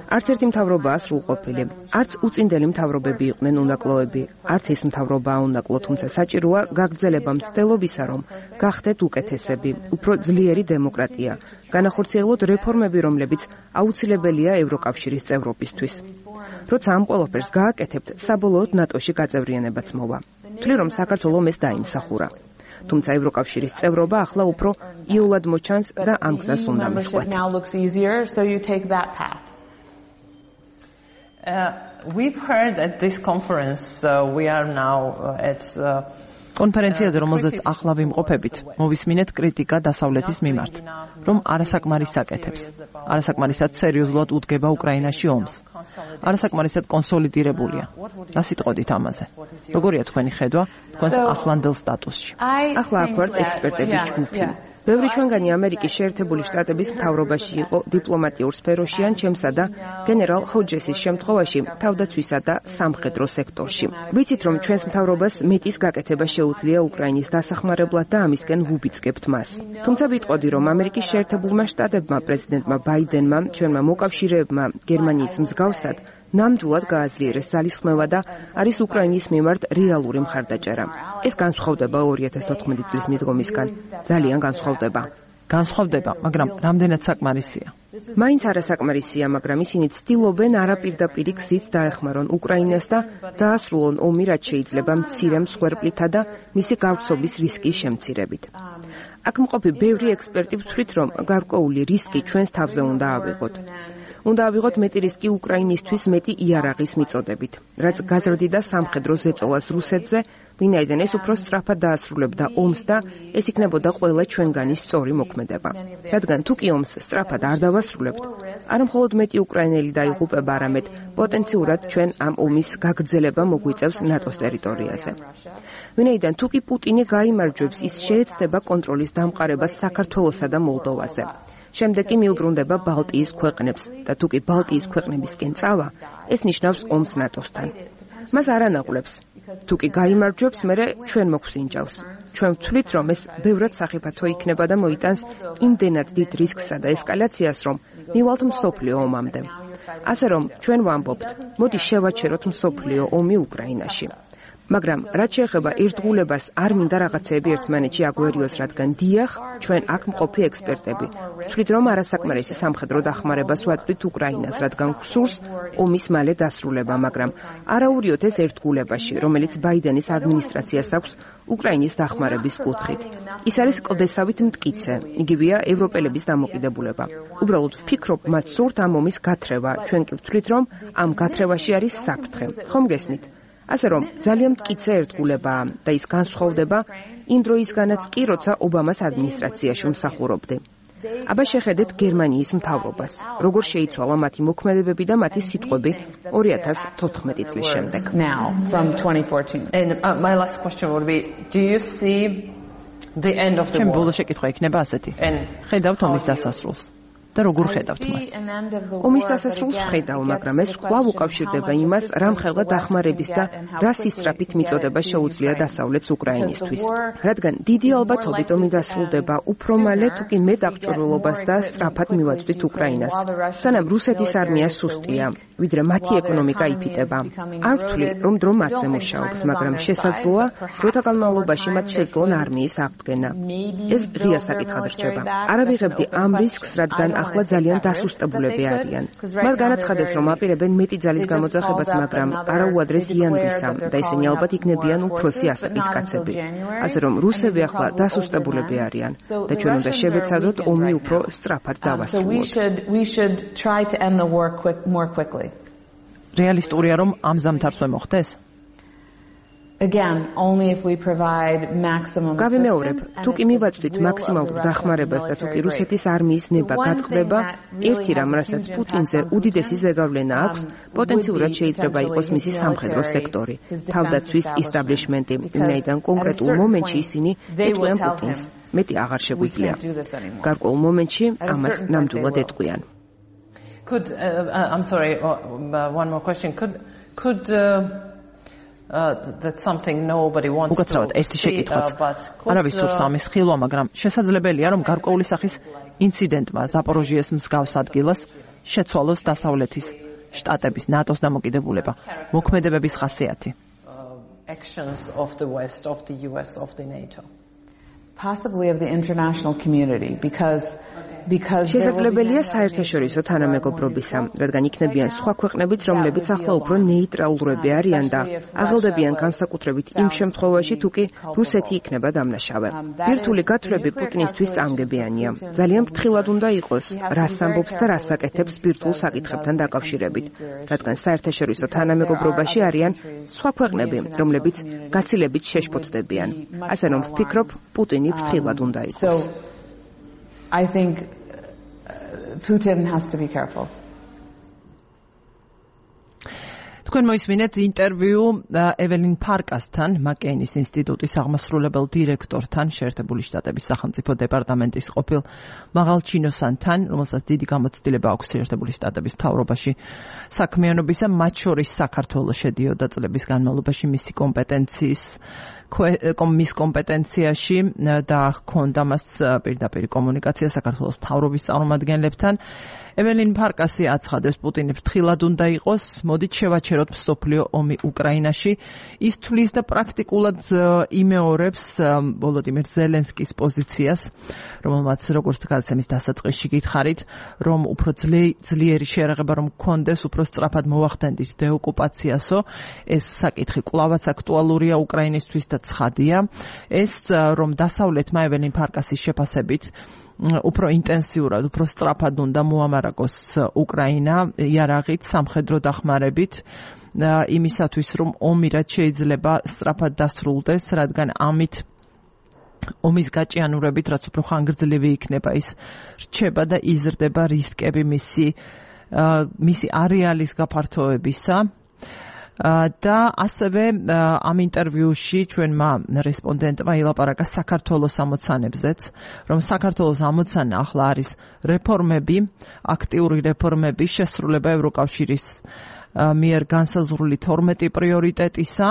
არც ერთი მთავრობაა სრულყოფილი, არც უწინდელი მთავრობები იყვნენ უნაკლოები, არც ის მთავრობაა უნაკლო, თუმცა საჭიროა გაგრძელება მცდელობისა, რომ გახდეთ უკეთესები, უფრო ძლიერი დემოკრატია, განახორციელოთ რეფორმები, რომლებიც აუცილებელია ევროკავშირის წევრობისთვის. როცა ამ ყველაფერს გააკეთებთ, საბოლოოდ ნატოში გაწევრიანებაც მოვა. ვთვლი, რომ საქართველომ ეს დაიმსახურა. თუმცა ევროკავშირის წევრობა ახლა უფრო იოლად მოჩანს და ამ გზას უნდა მიხვდეთ. Uh, we've heard at this conference uh, we are now uh, at uh, კონფერენციაზე, რომელზეც ახლა ვიმყოფებით, მოვისმინეთ კრიტიკა დასავლეთის მიმართ, რომ არასაკმარისად აკეთებს, არასაკმარისად სერიოზულად უდგება უკრაინაში ომს, არასაკმარისად კონსოლიდირებულია. რა სიტყვით ამაზე? როგორია თქვენი ხედვა თქვენს ახლანდელ სტატუსში? ახლა აქ ვართ ექსპერტების ჯგუფი. ბევრი ჩვენგანი ამერიკის შეერთებული შტატების მთავრობაში იყო დიპლომატიურ სფეროში ან ჩემსა და გენერალ ჰოჯესის შემთხვევაში თავდაცვისა და სამხედრო სექტორში. ვიცით, რომ ჩვენს მთავრობას მეტის გაკეთება შეუძლია უკრაინის დასახმარებლად და ამისკენ ვუბიძგებთ მას. თუმცა ვიტყოდი, რომ ამერიკის შეერთებულმა შტატებმა, პრეზიდენტმა ბაიდენმა, ჩვენმა მოკავშირეებმა გერმანიის მსგავსად ნამდვილად გააძლიერეს ძალისხმევა და არის უკრაინის მიმართ რეალური მხარდაჭერა. ეს განსხვავდება ორი ათას ოთხმოცი წლის მიდგომისგან. ძალიან განსხვავდება. განსხვავდება, მაგრამ რამდენად საკმარისია? მაინც არასაკმარისია, მაგრამ ისინი ცდილობენ არაპირდაპირი გზით დაეხმარონ უკრაინას და დაასრულონ ომი, რაც შეიძლება მცირე მსხვერპლითა და მისი გავრცობის რისკის შემცირებით. აქ მყოფი ბევრი ექსპერტი ვთვლით, რომ გარკვეული რისკი ჩვენს თავზე უნდა ავიღოთ. უნდა ავიღოთ მეტი რისკი უკრაინისთვის მეტი იარაღის მიწოდებით, რაც გაზრდიდა სამხედრო ზეწოლას რუსეთზე, ვინაიდან ეს უფრო სწრაფად დაასრულებდა ომს და ეს იქნებოდა ყველა ჩვენგანის სწორი მოქმედება. რადგან თუ კი ომს სწრაფად არ დავასრულებთ, არა მხოლოდ მეტი უკრაინელი დაიღუპება, არამედ პოტენციურად ჩვენ ამ ომის გაგრძელება მოგვიწევს ნატოს ტერიტორიაზე. ვინაიდან თუ კი პუტინი გაიმარჯვებს, ის შეეცდება კონტროლის დამყარებას საქართველოსა და მოლდოვაზე. შემდეგ კი მიუბრუნდება ბალტიის ქვეყნებს და თუ კი ბალტიის ქვეყნებისკენ წავა, ეს ნიშნავს ომს ნატოსთან. მას არ ანაღვლებს. თუ კი გაიმარჯვებს, მერე ჩვენ მოგვსინჯავს. ჩვენ ვთვლით, რომ ეს ბევრად სახიფათო იქნება და მოიტანს იმდენად დიდ რისკსა და ესკალაციას, რომ მივალთ მსოფლიო ომამდე. ასე რომ ჩვენ ვამბობთ, მოდი შევაჩეროთ მსოფლიო ომი უკრაინაში. მაგრამ რაც შეეხება ერთგულებას, არ მინდა რაღაცეები ერთმანეთში აგვერიოს, რადგან დიახ, ჩვენ აქ მყოფი ექსპერტები ვთვლით, რომ არასაკმარისი სამხედრო დახმარებას ვაწვდით უკრაინას, რადგან გვსურს ომის მალე დასრულება, მაგრამ არაურიოთ ეს ერთგულებაში, რომელიც ბაიდენის ადმინისტრაციას აქვს უკრაინის დახმარების კუთხით. ის არის კლდესავით მტკიცე, იგივეა ევროპელების დამოკიდებულება. უბრალოდ ვფიქრობ, მათ სურთ ამ ომის გათრევა, ჩვენ კი ვთვლით, რომ ამ გათრევაში არის საფრთხე. ხომ გესმით? ასე რომ ძალიან მტკიცე ერთგულებაა და ის განსხვავდება იმ დროისგანაც კი, როცა ობამას ადმინისტრაციაში ვმსახურობდი. აბა შეხედეთ გერმანიის მთავრობას, როგორ შეიცვალა მათი მოქმედებები და მათი სიტყვები ორი ათას თოთხმეტი წლის შემდეგ. Now from twenty fourteen. And uh, my last question would be, do you see the end of the war? ჩემ ბოლო შეკითხვა იქნება ასეთი. ხედავთ ომის დასასრულს? და როგორ ხედავთ მას? ომის დასასრულს ვხედავ, მაგრამ ეს კვლავ უკავშირდება იმას, რა მხელა დახმარების და რა სისწრაფით მიწოდება შეუძლია დასავლეთს უკრაინისთვის. რადგან დიდი ალბათობით ომი დასრულდება უფრო მალე, თუ კი მეტ აღჭურვილობას და სწრაფად მივაწვდით უკრაინას. სანამ რუსეთის არმია სუსტია, ვიდრე მათი ეკონომიკა იფიტება. არ ვთვლი, რომ დრო მათზე მუშაობს, მაგრამ შესაძლოა, დროთა განმავლობაში მათ შეძლონ არმიის აღდგენა. ეს ღია საკითხად რჩება. არ ავიღებდი ამ რისკს, რადგან ახლა ძალიან დასუსტებულები არიან. მათ განაცხადეს, რომ აპირებენ მეტი ძალის გამოძახებას, მაგრამ არაუადრეს იანვრისა და ისინი ალბათ იქნებიან უფროსი ასაკის კაცები. ასე რომ რუსები ახლა დასუსტებულები არიან და ჩვენ უნდა შევეცადოთ ომი უფრო სწრაფად დავასრულოთ. რეალისტურია, რომ ამ ზამთარს ვერ მოხდეს? Again, only if we provide maximum გავიმეორებ, თუ კი მივაწვდით მაქსიმალურ დახმარებას და თუ კი რუსეთის არმიის ნება გატყდება, ერთი რამ, რასაც პუტინზე უდიდესი ზეგავლენა აქვს, პოტენციურად შეიძლება იყოს მისი სამხედრო სექტორი, თავდაცვის ისტაბლიშმენტი, ვინაიდან კონკრეტულ მომენტში ისინი ეტყვიან პუტინს. მეტი აღარ შეგვიძლია. გარკვეულ მომენტში ამას ნამდვილად ეტყვიან. Could uh, I'm sorry, uh, one more question. Could could uh, Uh, that's something nobody wants to. უკაცრავად ერთი შეკითხვაც. არავის სურს ამის ხილვა, მაგრამ შესაძლებელია, რომ გარკვეული სახის ინციდენტმა ზაპოროჟიეს მსგავს ადგილას შეცვალოს დასავლეთის შტატების ნატოს დამოკიდებულება, მოქმედებების ხასიათი. Actions of the West, of the U S, of the NATO. possibly of the international community because შესაძლებელია საერთაშორისო თანამეგობრობისა, რადგან იქნებიან სხვა ქვეყნებიც, რომლებიც ახლა უფრო ნეიტრალურები არიან და აღელდებიან განსაკუთრებით იმ შემთხვევაში, თუ კი რუსეთი იქნება დამნაშავე. ბირთვული გათვლები პუტინისთვის წამგებიანია. ძალიან ფრთხილად უნდა იყოს, რას ამბობს და რას აკეთებს ბირთვულ საკითხებთან დაკავშირებით, რადგან საერთაშორისო თანამეგობრობაში არიან სხვა ქვეყნები, რომლებიც გაცილებით შეშფოთდებიან. ასე რომ ვფიქრობ, პუტინი ფრთხილად უნდა იყოს. I think Putin has to be careful. თქვენ მოისმინეთ ინტერვიუ ეველინ ფარკასთან, მაკეინის ინსტიტუტის აღმასრულებელ დირექტორთან, შეერთებული შტატების სახელმწიფო დეპარტამენტის ყოფილ მაღალჩინოსანთან, რომელსაც დიდი გამოცდილება აქვს შეერთებული შტატების მთავრობაში საქმიანობისა, მათ შორის საქართველოს შედიოდა წლების განმავლობაში მისი კომპეტენციის მის კომპეტენციაში და ჰქონდა მას პირდაპირ კომუნიკაცია საქართველოს მთავრობის წარმომადგენლებთან. ეველინ ფარკასი აცხადებს, პუტინი ფრთხილად უნდა იყოს, მოდით შევაჩეროთ მსოფლიო ომი უკრაინაში. ის თვლის და პრაქტიკულად იმეორებს ვოლოდიმირ ზელენსკის პოზიციას, რომელმაც როგორც გადაცემის დასაწყისში გითხარით, რომ უფრო ძლიერი შერაღება რომ გქონდეს, უფრო სწრაფად მოვახდენდით დეოკუპაციასო. ეს საკითხი კვლავაც აქტუალურია უკრაინისთვის და ცხადია. ეს რომ დასავლეთმა ეველინ ფარკასის შეფასებით უფრო ინტენსიურად, უფრო სწრაფად უნდა მოამარაგოს უკრაინა იარაღით, სამხედრო დახმარებით, იმისათვის, რომ ომი რაც შეიძლება სწრაფად დასრულდეს, რადგან ამით ომის გაჭიანურებით, რაც უფრო ხანგრძლივი იქნება, ის რჩება და იზრდება რისკები მისი მისი არეალის გაფართოებისა. და ასევე ამ ინტერვიუში ჩვენმა რესპონდენტმა ილაპარაკა საქართველოს ამოცანებზეც, რომ საქართველოს ამოცანა ახლა არის რეფორმები, აქტიური რეფორმები, შესრულება ევროკავშირის მიერ განსაზღვრული თორმეტი პრიორიტეტისა,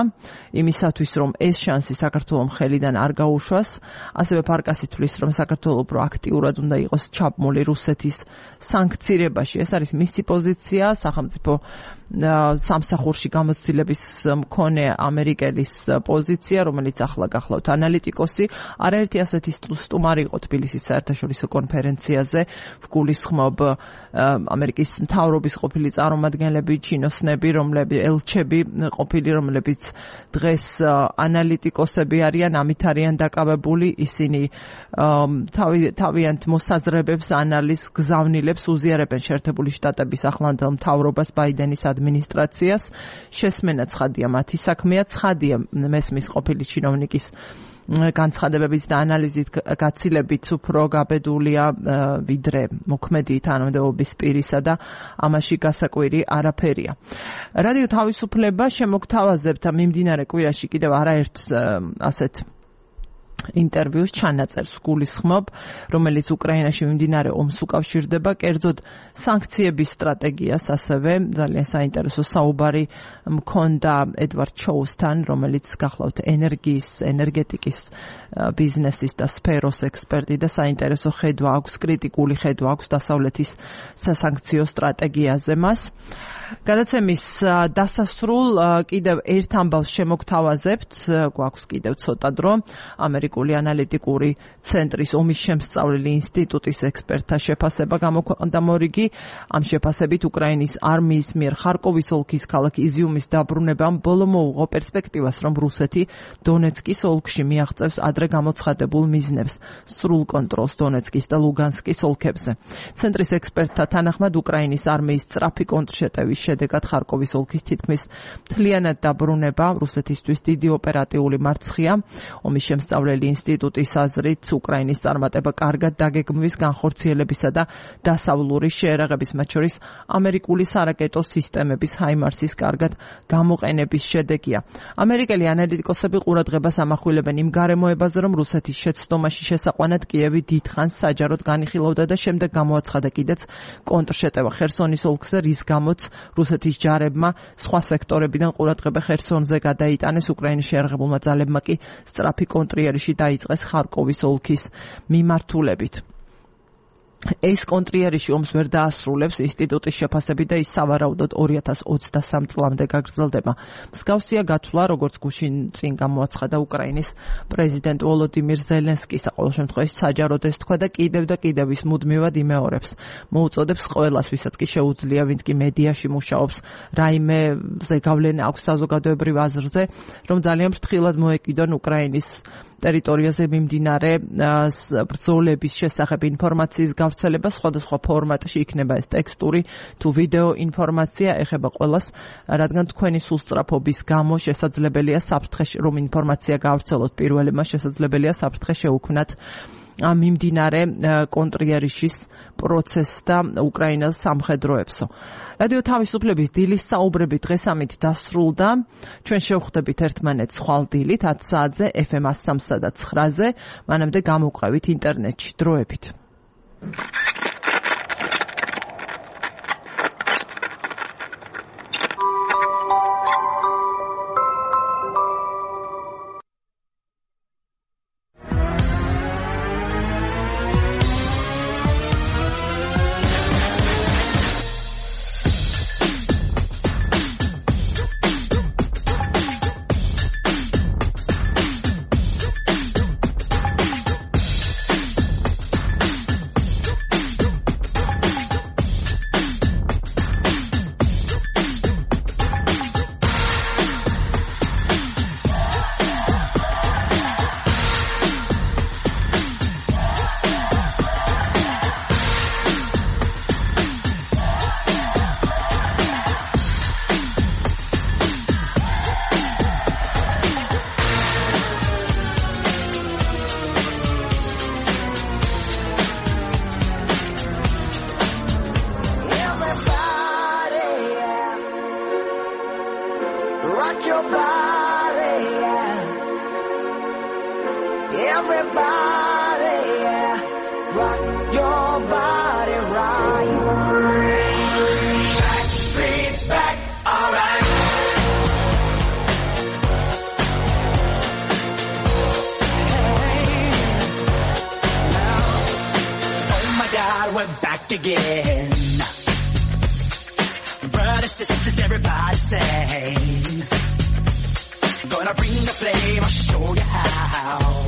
იმისათვის, რომ ეს შანსი საქართველოს ხელიდან არ გაუშვას. ასევე ფარკასი თვლის, რომ საქართველოს უფრო აქტიურად უნდა იყოს ჩაბმული რუსეთის სანქცირებაში. ეს არის მისი პოზიცია, სახელმწიფო სამსახურში გამოცდილების მქონე ამერიკელის პოზიცია, რომელიც ახლა გახლავთ ანალიტიკოსი. არაერთი ასეთი სტუმარი იყო თბილისის საერთაშორისო კონფერენციაზე, ვგულისხმობ ამერიკის მთავრობის ყოფილი წარმომადგენლები, ჩინოსნები, რომლებიც ელჩები ყოფილი, რომლებიც დღეს ანალიტიკოსები არიან, ამით არიან დაკავებული, ისინი თავიანთ მოსაზრებებს, ანალიზს, გზავნილებს უზიარებენ შეერთებული შტატების ახლანდელ მთავრობას, ბაიდენის ადმინისტრაციას. შესმენა ცხადია, მათი საქმეა, ცხადია მესმის ყოფილი ჩინოვნიკის განცხადებების და ანალიზით გაცილებით უფრო გაბედულია ვიდრე მოქმედი თანამდებობის პირისა და ამაში გასაკვირი არაფერია. რადიო თავისუფლება შემოგთავაზებთ მიმდინარე კვირაში კიდევ არაერთ ასეთ ინტერვიუს ჩანაწერს გულისხმობ, რომელიც უკრაინაში მიმდინარე ომს უკავშირდება, კერძოდ სანქციების სტრატეგიას, ასევე ძალიან საინტერესო საუბარი მქონდა ედვარდ ჩოუსთან, რომელიც გახლავთ ენერგიის, ენერგეტიკის ბიზნესის და სფეროს ექსპერტი და საინტერესო ხედვა აქვს, კრიტიკული ხედვა აქვს დასავლეთის სასანქციო სტრატეგიაზე მას. გადაცემის დასასრულ კიდევ ერთ ამბავს შემოგთავაზებთ, გვაქვს კიდევ ცოტა დრო. ამერიკული ანალიტიკური ცენტრის ომის შემსწავლელი ინსტიტუტის ექსპერტთა შეფასება გამოქვეყნდა მორიგი. ამ შეფასებით უკრაინის არმიის მიერ ხარკოვის ოლქის ქალაქ იზიუმის დაბრუნებამ ბოლო მოუღო პერსპექტივას, რომ რუსეთი დონეცკის ოლქში მიაღწევს ადრე გამოცხადებულ მიზნებს, სრულ კონტროლს დონეცკის და ლუგანსკის ოლქებზე. ცენტრის ექსპერტთა თანახმად უკრაინის არმიის სწრაფი კონტრშეტევის შედეგად ხარკოვის ოლქის თითქმის მთლიანად დაბრუნება რუსეთისთვის დიდი ოპერატიული მარცხია. ომის შემსწავლელი ინსტიტუტის აზრით, უკრაინის წარმატება კარგად დაგეგმვის, განხორციელებისა და დასავლური შეერაღების, მათ შორის ამერიკული სარაკეტო სისტემების ჰაიმარსის კარგად გამოყენების შედეგია. ამერიკელი ანალიტიკოსები ყურადღებას ამახვილებენ იმ გარემოებაზე, რომ რუსეთის შეცდომაში შესაყვანად კიევი დიდხანს საჯაროდ განიხილავდა და შემდეგ გამოაცხადა კიდეც კონტრშეტევა ხერსონის ოლქზე, რის გამოც რუსეთის ჯარებმა სხვა სექტორებიდან ყურადღება ხერსონზე გადაიტანეს. უკრაინის შეერაღებულმა ძალებმა კი სწრაფი კონტრიერიში დაიწყეს ხარკოვის ოლქის მიმართულებით. ეს კონტრიერიში ომს ვერ დაასრულებს ინსტიტუტის შეფასებით და ის სავარაუდოდ ორი ათას ოცდასამ წლამდე გაგრძელდება. მსგავსია გათვლა, როგორც გუშინ წინ გამოაცხადა უკრაინის პრეზიდენტ ვოლოდიმირ ზელენსკის, ყოველ შემთხვევაში საჯაროდ ეს თქვა და კიდევ და კიდევ ის მუდმივად იმეორებს. მოუწოდებს ყველას, ვისაც კი შეუძლია, ვინც კი მედიაში მუშაობს, რაიმეზე გავლენა აქვს საზოგადოებრივ აზრზე, რომ ძალიან ფრთხილად მოეკიდონ უკრაინის ტერიტორიაზე მიმდინარე ბრძოლების შესახებ ინფორმაციის გავრცელება სხვადასხვა ფორმატში, იქნება ეს ტექსტური თუ ვიდეო ინფორმაცია, ეხება ყველას, რადგან თქვენი სულსწრაფობის გამო შესაძლებელია საფრთხე, რომ ინფორმაცია გავრცელოთ პირველმა, შესაძლებელია საფრთხე შეუქმნათ მიმდინარე კონტრიერიშის პროცესს და უკრაინას სამხედროებსო. რადიო თავისუფლების დილის საუბრები დღეს ამით დასრულდა. ჩვენ შევხვდებით ერთმანეთს ხვალ დილით ათ საათზე ეფ ემ one oh three და nine-ზე, მანამდე გამოვყევით ინტერნეტში. დროებით. Again, brothers, sisters, everybody say, gonna bring the flame, I'll show you how.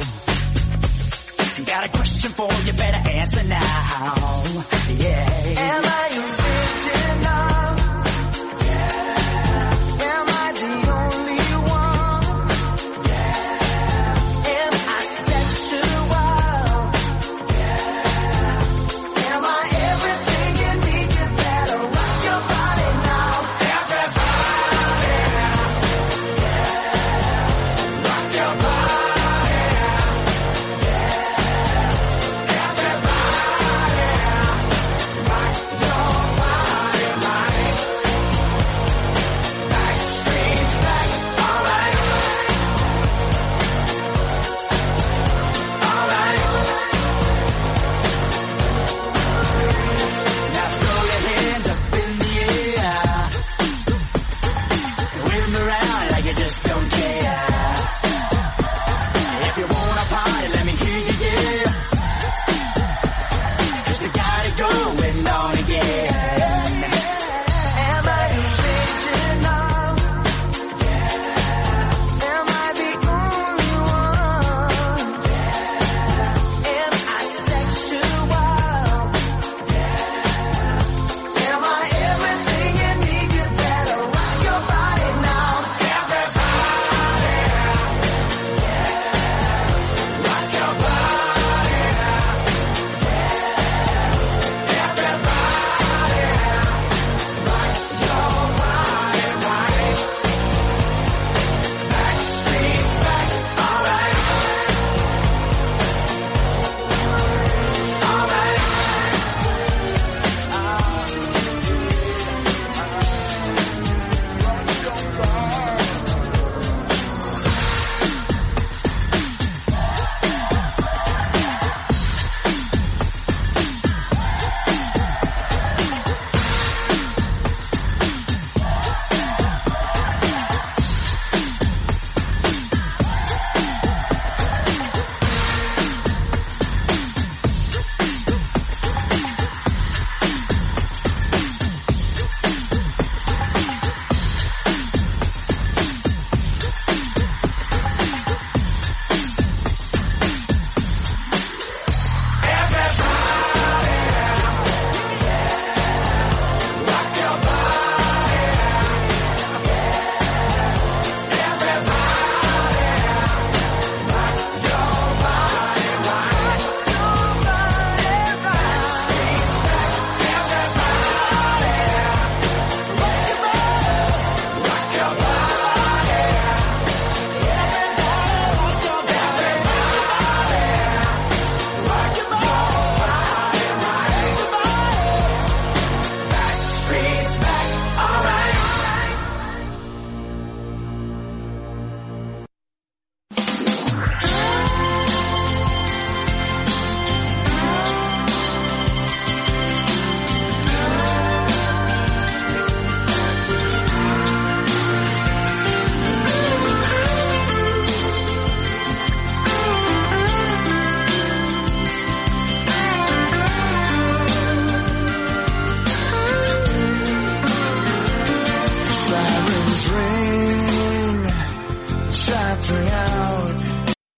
Got a question for you, better answer now. Yeah.